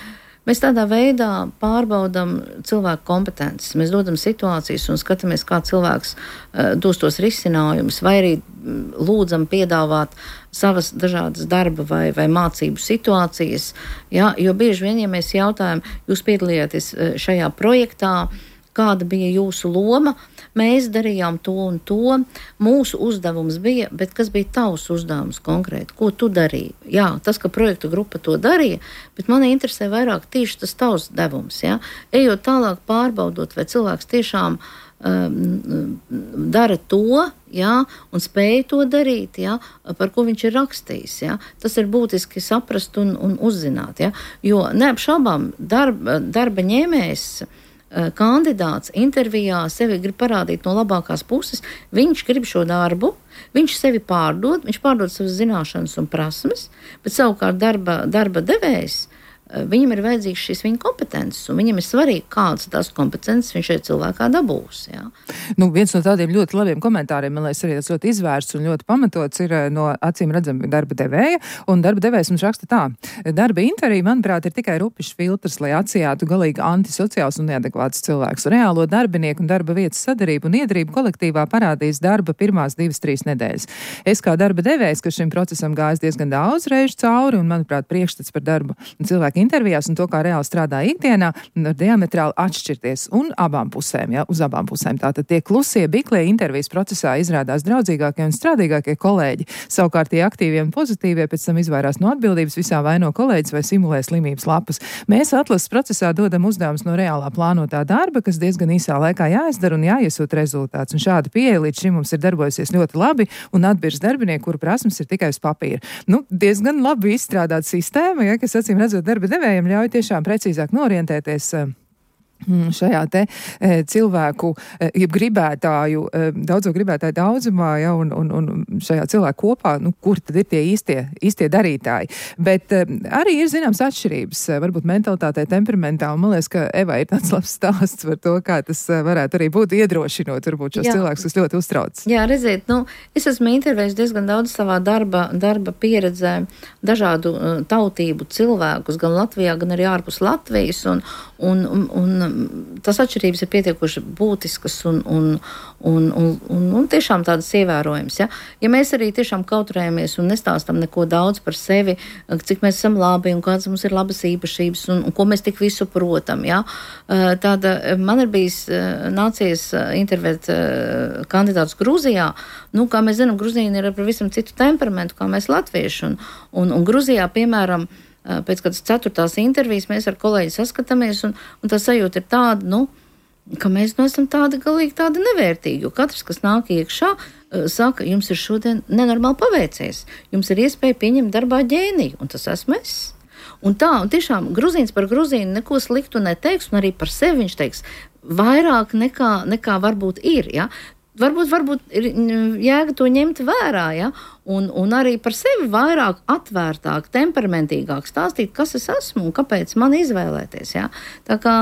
mēs tādā veidā pārbaudam cilvēku kompetences. Mēs dodam situācijas un skatāmies, kā cilvēks dos tos risinājumus, vai arī lūdzam piedāvāt savas dažādas darba vai mācību situācijas. Ja, jo bieži vien, ja mēs jautājam, jūs piedalījāties šajā projektā, kāda bija jūsu loma, mēs darījām to un to, mūsu uzdevums bija, bet kas bija tavs uzdevums konkrēti, ko tu darīji? Jā, tas, ka projektu grupa to darīja, bet mani interesē vairāk tieši tas tavs devums, jā. Ejot tālāk pārbaudot, vai cilvēks tiešām dara to, jā, un spēja to darīt, jā, par ko viņš ir rakstījis, jā. Tas ir būtiski saprast un uzzināt, jā, jo neapšaubām darba ņēmējs, kandidāts intervijā sevi grib parādīt no labākās puses, viņš grib šo darbu, viņš sevi pārdod, viņš pārdod savas zināšanas un prasmes, bet savukārt darba devējs, viņam ir vajadzīgs šīs viņa kompetences, un viņam ir svarīgi, kādas tās kompetences viņš šeit cilvēkā dabūs. Jā. Viens no tādiem ļoti labiem komentāriem, man liekas, arī tas ļoti izvērsts un ļoti pamatots ir no acīm redzami darba devēja, un darba devējs mums raksta tā. Darba intervija, manuprāt, ir tikai rupišs filtrs, lai atsijātu galīgi antisociāls un neadekvāts cilvēks. Reālo darbinieku un darba vietas sadarību un iedarību kolektīvā parādīs darba pirmās 2-3 nedēļas. Es kā darba devējs, kas šim procesam gājis diezgan daudz reižu cauri, un, manuprāt, priekšstats par darbu cilvēku intervijās un to, kā reāli strādā ikdienā, var diametrāli atšķirties un abām pusēm, ja, uz abām pusēm. Tātad tie klusie, biklie intervijas procesā izrādās draudzīgākie un strādīgākie kolēģi. Savukārt tie aktīvie un pozitīvie pēc tam izvairās no atbildības, visā vaino kolēģis vai simulē slimības lapas. Mēs atlases procesā dodam uzdevumus no reālā plānotā darba, kas diezgan īsā laikā jāizdara un jāiesūt rezultāts. Un šāda pieeja līdz šim mums ir darbojusies ļoti labi un atbirs darbinieki, kuru prasmes ir tikai uz papīra. Diezgan labi izstrādāta sistēma, ja, kas acīm redzot darba devējiem ļauj tiešām precīzāk norientēties šajā te cilvēku, jeb gribētāju, daudzo gribētāju daudzumā, ja, un šajā cilvēku kopā, kur tad ir tie īstie darītāji. Bet arī ir zināms atšķirības, varbūt mentalitātē, temperamentā, un man liekas, ka Eva ir tāds labs stāsts par to, kā tas varētu arī būt iedrošinot, varbūt šos cilvēkus, kas ļoti uztrauc. Jā, redziet, es esmu intervējis diezgan daudz savā darba pieredzē dažādu tautību cilvēkus, gan Latvijā, gan arī ārpus Latvijas, un tas atšķirības ir pietiekuši būtiskas un tiešām tādas ievērojams. Ja mēs arī tiešām kautrējamies un nestāstam neko daudz par sevi, cik mēs esam labi un kādas mums ir labas īpašības un ko mēs tik visu protam. Ja? Tāda, man ir bijis nācies intervēt kandidātus Gruzijā. Kā mēs zinām, Gruzīni ir ar pavisam citu temperamentu, kā mēs latvieši. Un Gruzijā, piemēram, pēc kādas 4. intervijas mēs ar kolēģi saskatāmies, un tā sajūta ir tāda, ka mēs esam galīgi tādi nevērtīgi, jo katrs, kas nāk iekšā, saka, jums ir šodien nenormāli paveicies, jums ir iespēja pieņemt darbā ģēniju, un tas esmu es. Un tiešām gruzīns par gruzīnu neko sliktu neteiks, un arī par sevi viņš teiks vairāk nekā varbūt ir, ja? Varbūt ir jēga to ņemt vērā, ja? Un arī par sevi vairāk atvērtāk, temperamentīgāk stāstīt, kas es esmu un kāpēc man izvēlēties. Ja? Tā kā,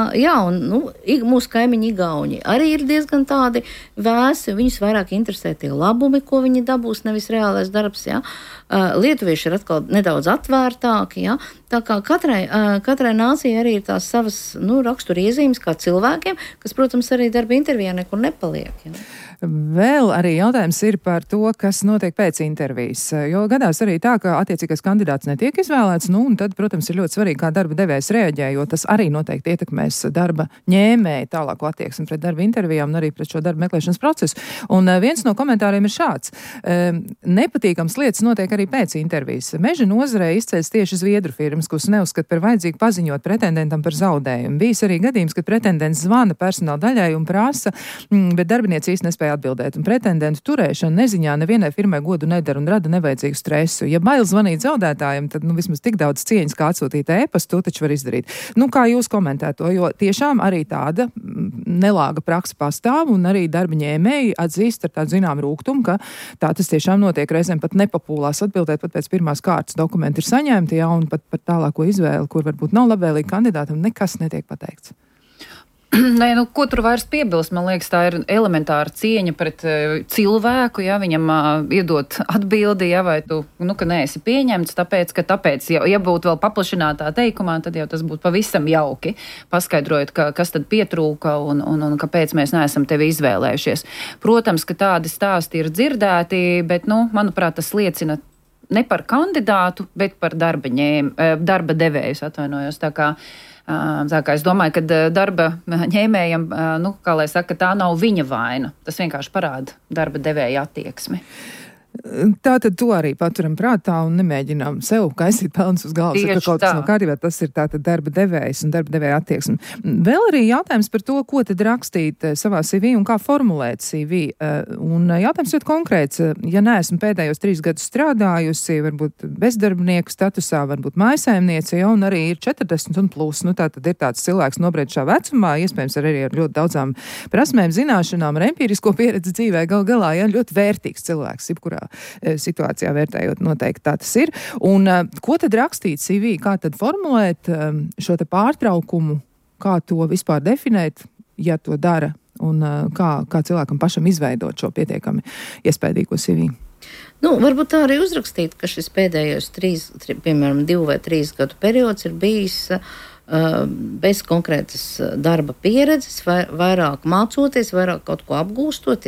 mūsu kaimiņi Igauni arī ir diezgan tādi vēsi, viņus vairāk interesē tie labumi, ko viņi dabūs, nevis reālais darbs. Ja? Lietuvieši ir atkal nedaudz atvērtāki. Ja? Tā kā katrai nācijai arī ir tās savas raksturiezīmes kā cilvēkiem, kas, protams, arī darba intervijā nekur nepaliek. Ja? Vēl arī jautājums ir par to, kas notiek pēc intervijas, jo gadās arī tā, ka attiecīgais kandidāts netiek izvēlēts, un tad, protams, ir ļoti svarīgi, kā darba devējs reaģē, jo tas arī noteikti ietekmēs darba ņēmēju tālāko attieksmi pret darba intervijām un arī pret šo darba meklēšanas procesu. Un viens no komentāriem ir šāds. Nepatīkams lietas notiek arī pēc intervijas. Meža nozarē izceļas tieši zviedru firmas, kuras neuzskata par vajadzīgu paziņot pretendentam par zaudējumu. Bijis arī gadījums, kad pretendents zvana personāla daļai un prasa, bet darbinieci īsti nespēja atbildēt. Un pretendentu turēšana neziņā nevienai firmai godu nedara un rada nevajadzīgu stresu. Ja bail zvanīt zaudētājiem, tad vismaz tik daudz cieņas, kā atsūtīt ēpastu, to taču var izdarīt. Kā jūs komentējat to? Jo tiešām arī tāda nelāga praksa pastāv un arī darba ņēmēji atzīst ar tādu zinām rūgtumu, ka tā tas tiešām notiek reizēm pat nepapūlās atbildēt, pat pēc pirmās kārtas dokumenti ir saņemti, un pat par tālāko izvēli, kur varbūt nav labvēlīgi kandidātam, nekas netiek pateikts. Nē, ko tur vairs piebilst? Man liekas, tā ir elementāra cieņa pret cilvēku, ja viņam iedot atbildi, ja, vai tu, ka neesi pieņemts, tāpēc, ja būtu vēl paplašinātā teikumā, tad jau tas būtu pavisam jauki, paskaidrojot, kas tad pietrūka un kāpēc mēs neesam tevi izvēlējušies. Protams, ka tādi stāsti ir dzirdēti, bet, manuprāt, tas liecina ne par kandidātu, bet par darba devējus, atvainojos, tā kā es domāju, ka darba ņēmējam, kā lai saka, tā nav viņa vaina. Tas vienkārši parāda darba devēja attieksmi. Tātad to arī paturam prātā un nemēģinām sev kaisīt pelnus uz galvas, ka kaut kas nav kārtībā. Tas ir tātad darba devējs un darba devēja attieksme. Vēl arī jautājums par to, ko tad rakstīt savā CV un kā formulēt CV. Un jautājums ļoti konkrēts. Ja neesmu pēdējos 3 gadus strādājusi, varbūt bezdarbnieku statusā, varbūt mājsaimniece, un arī ir 40 un plus. Tātad ir tāds cilvēks nobriedušā vecumā, iespējams arī ar ļoti daudzām prasmēm, zināšanām, ar empirisko pieredzi dzīvē, galā, ļoti vērtīgs cilvēks, jebkurā situācijā vērtējot, noteikti tā tas ir. Un ko tad rakstīt CV, kā tad formulēt šo te pārtraukumu, kā to vispār definēt, ja to dara, un kā cilvēkam pašam izveidot šo pietiekami iespējīgo CV? Varbūt tā arī uzrakstīt, ka šis pēdējos 2 vai 3 gadu periods ir bijis bez konkrētas darba pieredzes, vairāk mācoties, vairāk kaut ko apgūstot,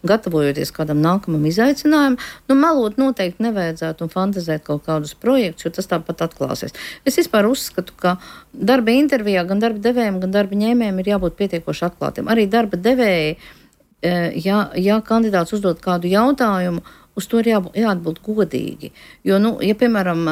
gatavojoties kādam nākamam izaicinājumam. Melot noteikti nevajadzētu un fantazēt kaut kādus projektus, jo tas tāpat atklāsies. Es vispār uzskatu, ka darba intervijā gan darba devējiem, gan darba ņēmējiem ir jābūt pietiekoši atklātiem. Arī darba devēji, ja kandidāts uzdod kādu jautājumu, uz to ir jāatbild godīgi. Jo, ja piemēram,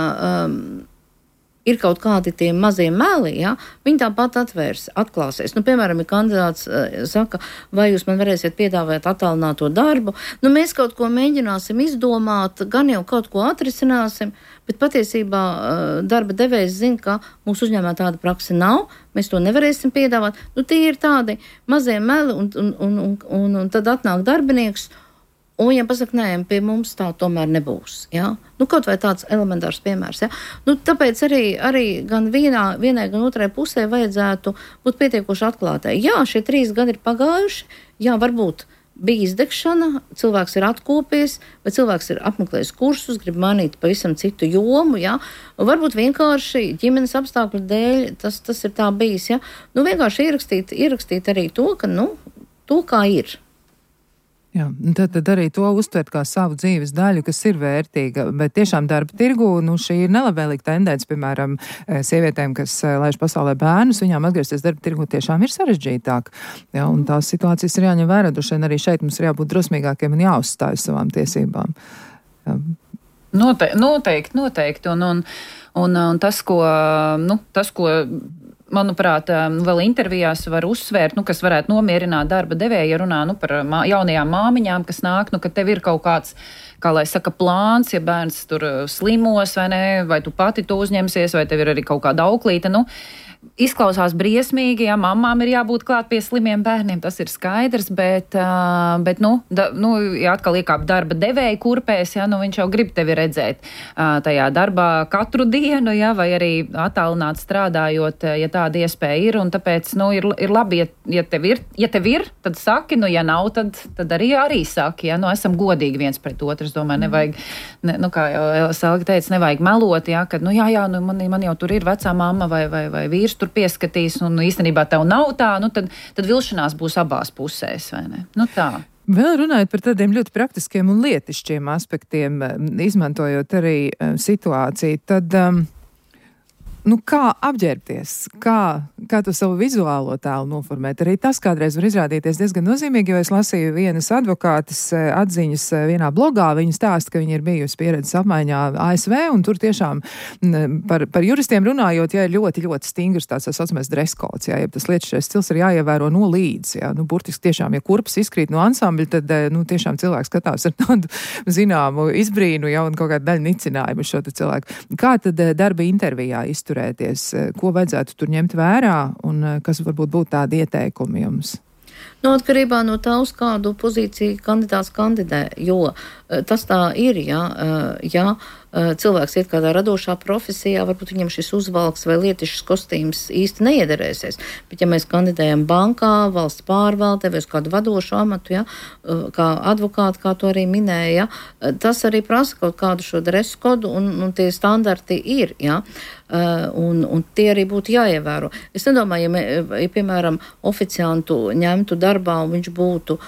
ir kaut kādi tie mazie meli, ja, viņi tāpat atklāsies. Nu, piemēram, ja kandidāts saka, vai jūs man varēsiet piedāvāt attālināto darbu, nu, mēs kaut ko mēģināsim izdomāt, gan jau kaut ko atrisināsim, bet patiesībā darba devējs zina, ka mūsu uzņēmumā tāda praksa nav, mēs to nevarēsim piedāvāt. Nu, tie ir tādi mazie meli, un tad atnāk darbinieks, un viņam pasaka, nē, pie mums tā tomēr nebūs. Ja? Nu, kaut vai tāds elementārs piemērs. Ja? Nu, tāpēc arī gan vienai, gan otrai pusē vajadzētu būt pietiekoši atklātai. Jā, šie 3 gadi ir pagājuši, jā, varbūt bija izdegšana, cilvēks ir atkopies, vai cilvēks ir apmeklējis kursus, grib mainīt pavisam citu jomu, ja? Varbūt vienkārši ģimenes apstākļu dēļ tas ir tā bijis. Ja? Nu, vienkārši ierakstīt arī to, ka, nu, to kā ir. Jā, tad arī to uztvert kā savu dzīves daļu, kas ir vērtīga, bet tiešām darba tirgu, nu, šī ir nelabvēlīga tendence, piemēram, sievietēm, kas laiž pasaulē bērnus, viņām atgriezties darba tirgu tiešām ir sarežģītāk. Jā, un tās situācijas ir jāņem vērā, un arī šeit mums ir jābūt drosmīgākiem un jāuzstāj savām tiesībām. Jā. Noteikti. Un tas, ko manuprāt, vēl intervijās var uzsvērt, kas varētu nomierināt darba devēju, ja runā par jaunajām māmiņām, kas nāk, ka tev ir kaut kāds, kā lai saka, plāns, ja bērns tur slimos vai ne, vai tu pati to uzņemsies, vai tev ir arī kaut kāda auklīte, izklausās briesmīgi, ja mamām ir jābūt klāt pie slimiem bērniem, tas ir skaidrs, bet ja atkal iekāp darba devēja kurpēs, ja, viņš jau grib tevi redzēt tajā darbā katru dienu, ja, vai arī attālināt strādājot, ja tāda iespēja ir, un tāpēc, ir labi, ja tev ir, tad saki, ja nav, tad arī saki, ja, esam godīgi viens pret otru, es domāju, nevajag, kā jau Selga teica, nevajag melot, ja, kad, man jau tur ir vecā mamma vai vīrs, tur pieskatīs, un īstenībā tev nav tā, tad vilšanās būs abās pusēs, vai ne? Tā. Vēl runājot par tādiem ļoti praktiskiem un lietišķiem aspektiem, izmantojot arī situāciju, tad kā apģērbties, kā tu savu vizuālo tēlu noformēt. Arī tas kādreiz var izrādīties diezgan nozīmīgi, jo es lasīju vienas advokātes atziņas vienā blogā. Viņa stāsta, ka viņa ir bijusi pieredzes apmaiņā ASV, un tur tiešām par juristiem runājot, ja ir ļoti, ļoti stingrs tāds saucamais dress codes, ja tas lietušais stils ir jāievēro no līdz. Ja, burtiski tiešām, ja kurpes izkrīt no ansambļa, tad tiešām cilvēks skatās ar tādu zināmu izbrīnu, ja, un kaut kādu daļu nicinājumu šo cilvēku. Kā tad darba intervijā izturēties? Ko vajadzētu tur ņemt vērā un kas varbūt būtu tādi ieteikumi jums? Atkarībā no tā, uz kādu pozīciju kandidāts kandidē, jo tas tā ir, ja cilvēks iet kādā radošā profesijā, varbūt viņam šis uzvalks vai lietišs kostīms īsti neiederēsies, bet ja mēs kandidējam bankā, valsts pārvaldē vai uz kādu vadošu amatu, ja, kā advokāti, kā to arī minēja, tas arī prasa kaut kādu šo dresu kodu un tie standarti ir, ja, un tie arī būtu jāievēro. Es nedomāju, ja piemēram, oficiantu ņemtu darbā un viņš būtu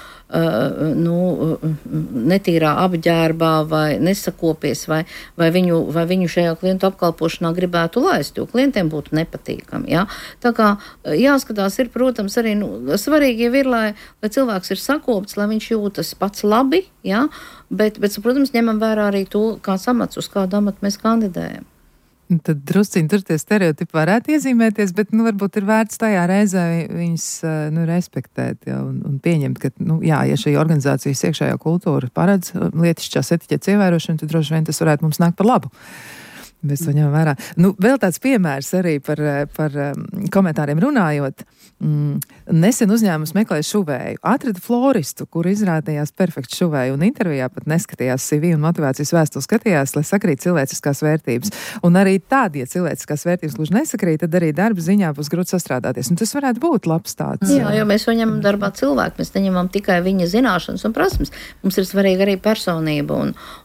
netīrā apģērbā vai nesakopies vai viņu šajā klientu apkalpošanā gribētu laist, jo klientiem būtu nepatīkami. Ja? Tā kā jāskatās ir, protams, arī svarīgi jau ir, lai cilvēks ir sakopts, lai viņš jūtas pats labi, ja? bet, protams, ņemam vērā arī to, kāds amats, uz kādu amatu mēs kandidējam. Tad drusciņi tur tie stereotipi varētu iezīmēties, bet, varbūt ir vērts tajā reizē viņus, respektēt, ja, un pieņemt, ka, ja šī organizācijas iekšējā kultūra paredz lietišķās etiķetes ievērošanu, tad droši vien tas varētu mums nākt par labu. Mēs to ņemam vērā. Vēl tāds piemērs arī par komentāriem runājot. Nesen uzņēmums meklēja šuvēju. Atrada floristu, kur izrādījās perfekts šuvēju, un intervijā pat neskatījās CV un motivācijas vēstuli, skatījās, lai sakrīt cilvēciskās vērtības. Un arī tādi, ja cilvēciskās vērtības gluži nesakrīt, tad arī darba ziņā būs grūti sastrādāties. Un tas varētu būt labs tāds. Jā, jo mēs ņemam darbā cilvēku, mēs neņemam tikai viņa zināšanas un prasmes. Mums ir svarīga arī personība.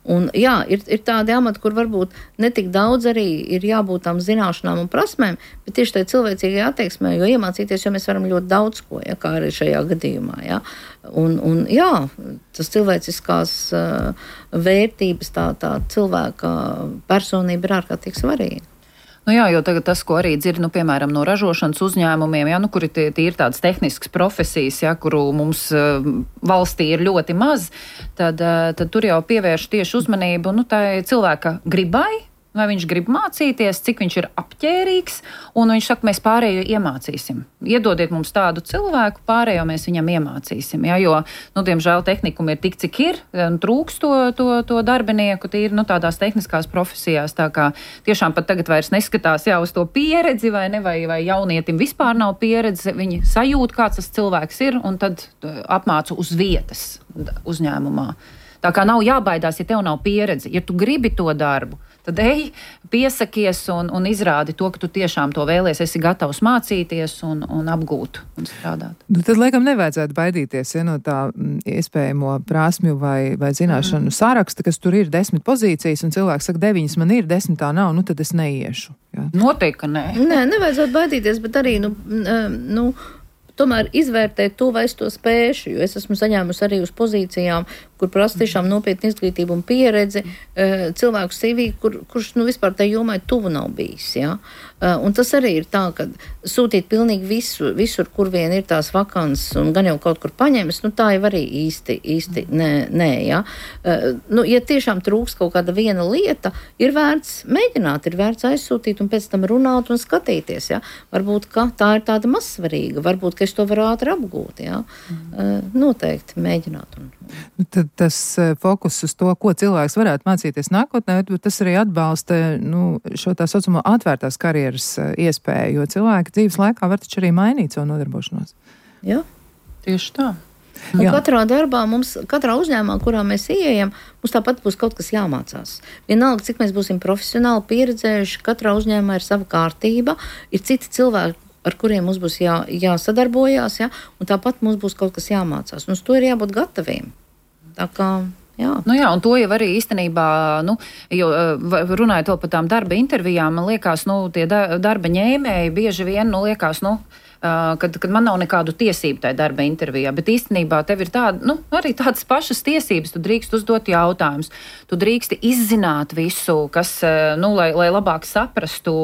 Un jā, ir tādi amati, kur varbūt netik daudz arī ir jābūt tām zināšanām un prasmēm, bet tieši tai cilvēcīgai attieksmē, jo iemācīties, jo mēs varam ļoti daudz ko, ja, kā arī šajā gadījumā. Ja. Un jā, tas cilvēciskās vērtības, tā cilvēka personība ir ārkārtīgi svarīga. Jā, jo tagad tas, ko arī dzird, piemēram, no ražošanas uzņēmumiem, ja, kuri ir tādas tehniskas profesijas, ja, kuru mums valstī ir ļoti maz, tad tur jau pievērš tieši uzmanību tai cilvēka gribai, vai viņš grib mācīties, cik viņš ir apģērīgs, un viņš saka, mēs pārējo iemācīsim. Iedodiet mums tādu cilvēku, pārējo mēs viņam iemācīsim, ja, jo, diemžēl tehnikumi ir tik, cik ir, trūks to darbinieku, tīri, tādās tehniskās profesijās, tā kā tiešām pat tagad vairs neskatās, uz to pieredzi, vai jaunietim vispār nav pieredze, viņi sajūt, kāds tas cilvēks ir, un tad apmācu uz vietas uzņēmumā. Tā kā nav jābaidās, ja tev nav pieredze, ja tu gribi to darbu, tad ej, piesakies un izrādi to, ka tu tiešām to vēlies, esi gatavs mācīties un apgūt un strādāt. Tad, laikam, nevajadzētu baidīties no tā iespējamo prasmju vai zināšanu saraksta, kas tur ir 10 pozīcijas, un cilvēks saka, 9 man ir, 10 tā nav, tad es neiešu. Jā. Noteikti, ka nē. Nē, nevajadzētu baidīties, bet arī, tomēr izvērtēt to, vai es to spēšu, jo es esmu saņēmusi arī uz pozīcijām, kur prasa tiešām nopietnu izglītību un pieredzi, cilvēku CV, kurš vispār tai jomai tuvu nav bijis. Ja? Un tas arī ir tā, ka sūtīt pilnīgi visur, kur vien ir tās vakances un gan jau kaut kur paņemas, tā jau arī īsti nē. Ja? Ja tiešām trūks kaut kāda viena lieta, ir vērts mēģināt, ir vērts aizsūtīt un pēc tam runāt un skatīties. Ja? Varbūt, ka tā ir tāda mazsvarīga, varbūt, ka es to varu ātri apgūt. Ja? Noteikti mēģināt. Tad tas fokus uz to, ko cilvēks varētu mācīties nākotnē, bet tas arī atbalsta šo tā saucamo atvērtās karjeras iespēju, jo cilvēki dzīves laikā var taču arī mainīt savu nodarbošanos. Jā, tieši tā. Un katrā darbā katrā uzņēmumā, kurā mēs ieejam, mums tāpat būs kaut kas jāmācās. Vienalga, cik mēs būsim profesionāli pieredzējuši, katrā uzņēmumā ir sava kārtība, ir citi cilvēki, ar kuriem mums būs jāsadarbojās, ja? Un tāpat mums būs kaut kas jāmācās. Un uz to ir jābūt gataviem. Tā kā, jā. Un to jau arī īstenībā, jo runājot vēl par tām darba intervijām, man liekas, tie darba ņēmēji bieži vien, liekas, kad man nav nekādu tiesību tajā darba intervijā, bet īstenībā tev ir arī tādas pašas tiesības, tu drīkst uzdot jautājumus, tu drīksti izzināt visu, kas, lai labāk saprastu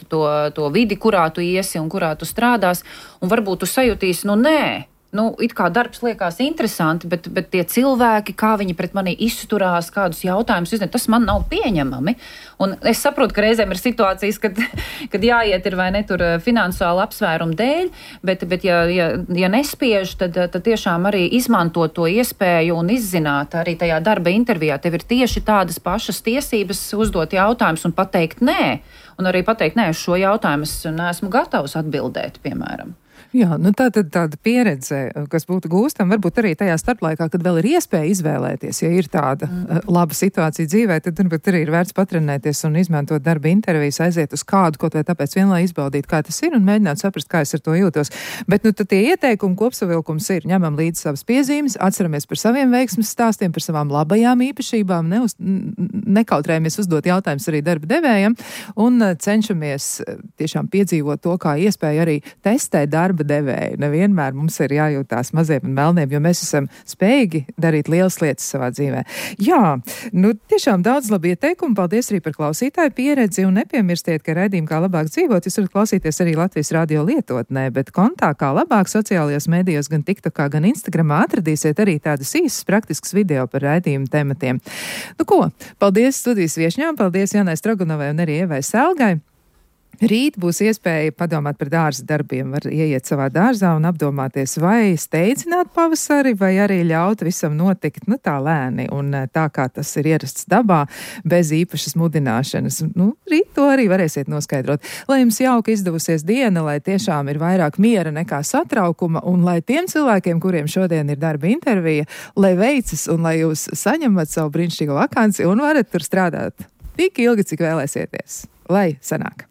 to vidi, kurā tu iesi un kurā tu strādās, un varbūt tu sajutīsi, nē. It kā darbs liekas interesanti, bet tie cilvēki, kā viņi pret mani izturās, kādus jautājumus uzdod, tas man nav pieņemami. Un es saprotu, ka reizēm ir situācijas, kad jāiet ir vai ne tur finansiāli apsvērumu dēļ, bet ja nespiež, tad tiešām arī izmantot to iespēju un izzināt arī tajā darba intervijā. Tev ir tieši tādas pašas tiesības uzdot jautājumus un pateikt nē. Un arī pateikt nē, uz šo jautājumu es neesmu gatavs atbildēt, piemēram. Jā, tāda pieredze, kas būtu gūstama, varbūt arī tajā starplaikā, kad vēl ir iespēja izvēlēties, ja ir tāda laba situācija dzīvē, tad arī ir vērts patrenēties un izmantot darba intervijas, aiziet uz kādu, kaut vai tāpēc vien, lai izbaudītu, kā tas ir un mēģināt saprast, kā es ar to jūtos. Bet tad tie ieteikumi kopsavilkums ir, ņemam līdzi savas piezīmes, atceramies par saviem veiksmes stāstiem, par savām labajām īpašībām, nekautrējamies uzdot jautājumus arī darba devējiem un cenšamies tiešām piedzīvot to, kā iespēja arī testēt darba devēju. Nevienmēr mums ir jājūtās maziem un melniem, jo mēs esam spējīgi darīt lielas lietas savā dzīvē. Jā, tiešām daudz labi ieteikumu. Paldies arī par klausītāju pieredzi un nepiemirstiet, ka raidījumu Kā labāk dzīvot, jūs varat klausīties arī Latvijas radio lietotnē, bet kontā Kā labāk sociālajos mēdījos gan TikTokā, gan Instagramā atradīsiet arī tādas īsas praktiskas video par raidījumu tematiem. Paldies studijas viešņām, paldies Janai Strogunovai un arī Ievai Selgai. Rīt būs iespēja padomāt par dārza darbiem, var ieiet savā dārzā un apdomāties, vai steidzināt pavasari, vai arī ļaut visam notikt, tā lēni un tā, kā tas ir ierasts dabā, bez īpašas mudināšanas. Rīt to arī varēsiet noskaidrot. Lai jums jauka izdevusies diena, lai tiešām ir vairāk miera nekā satraukuma, un lai tiem cilvēkiem, kuriem šodien ir darba intervija, lai veicas un lai jūs saņemat savu brīnišķīgo vakanci un varat tur strādāt tik ilgi, cik vēlēsieties. Lai sanāk!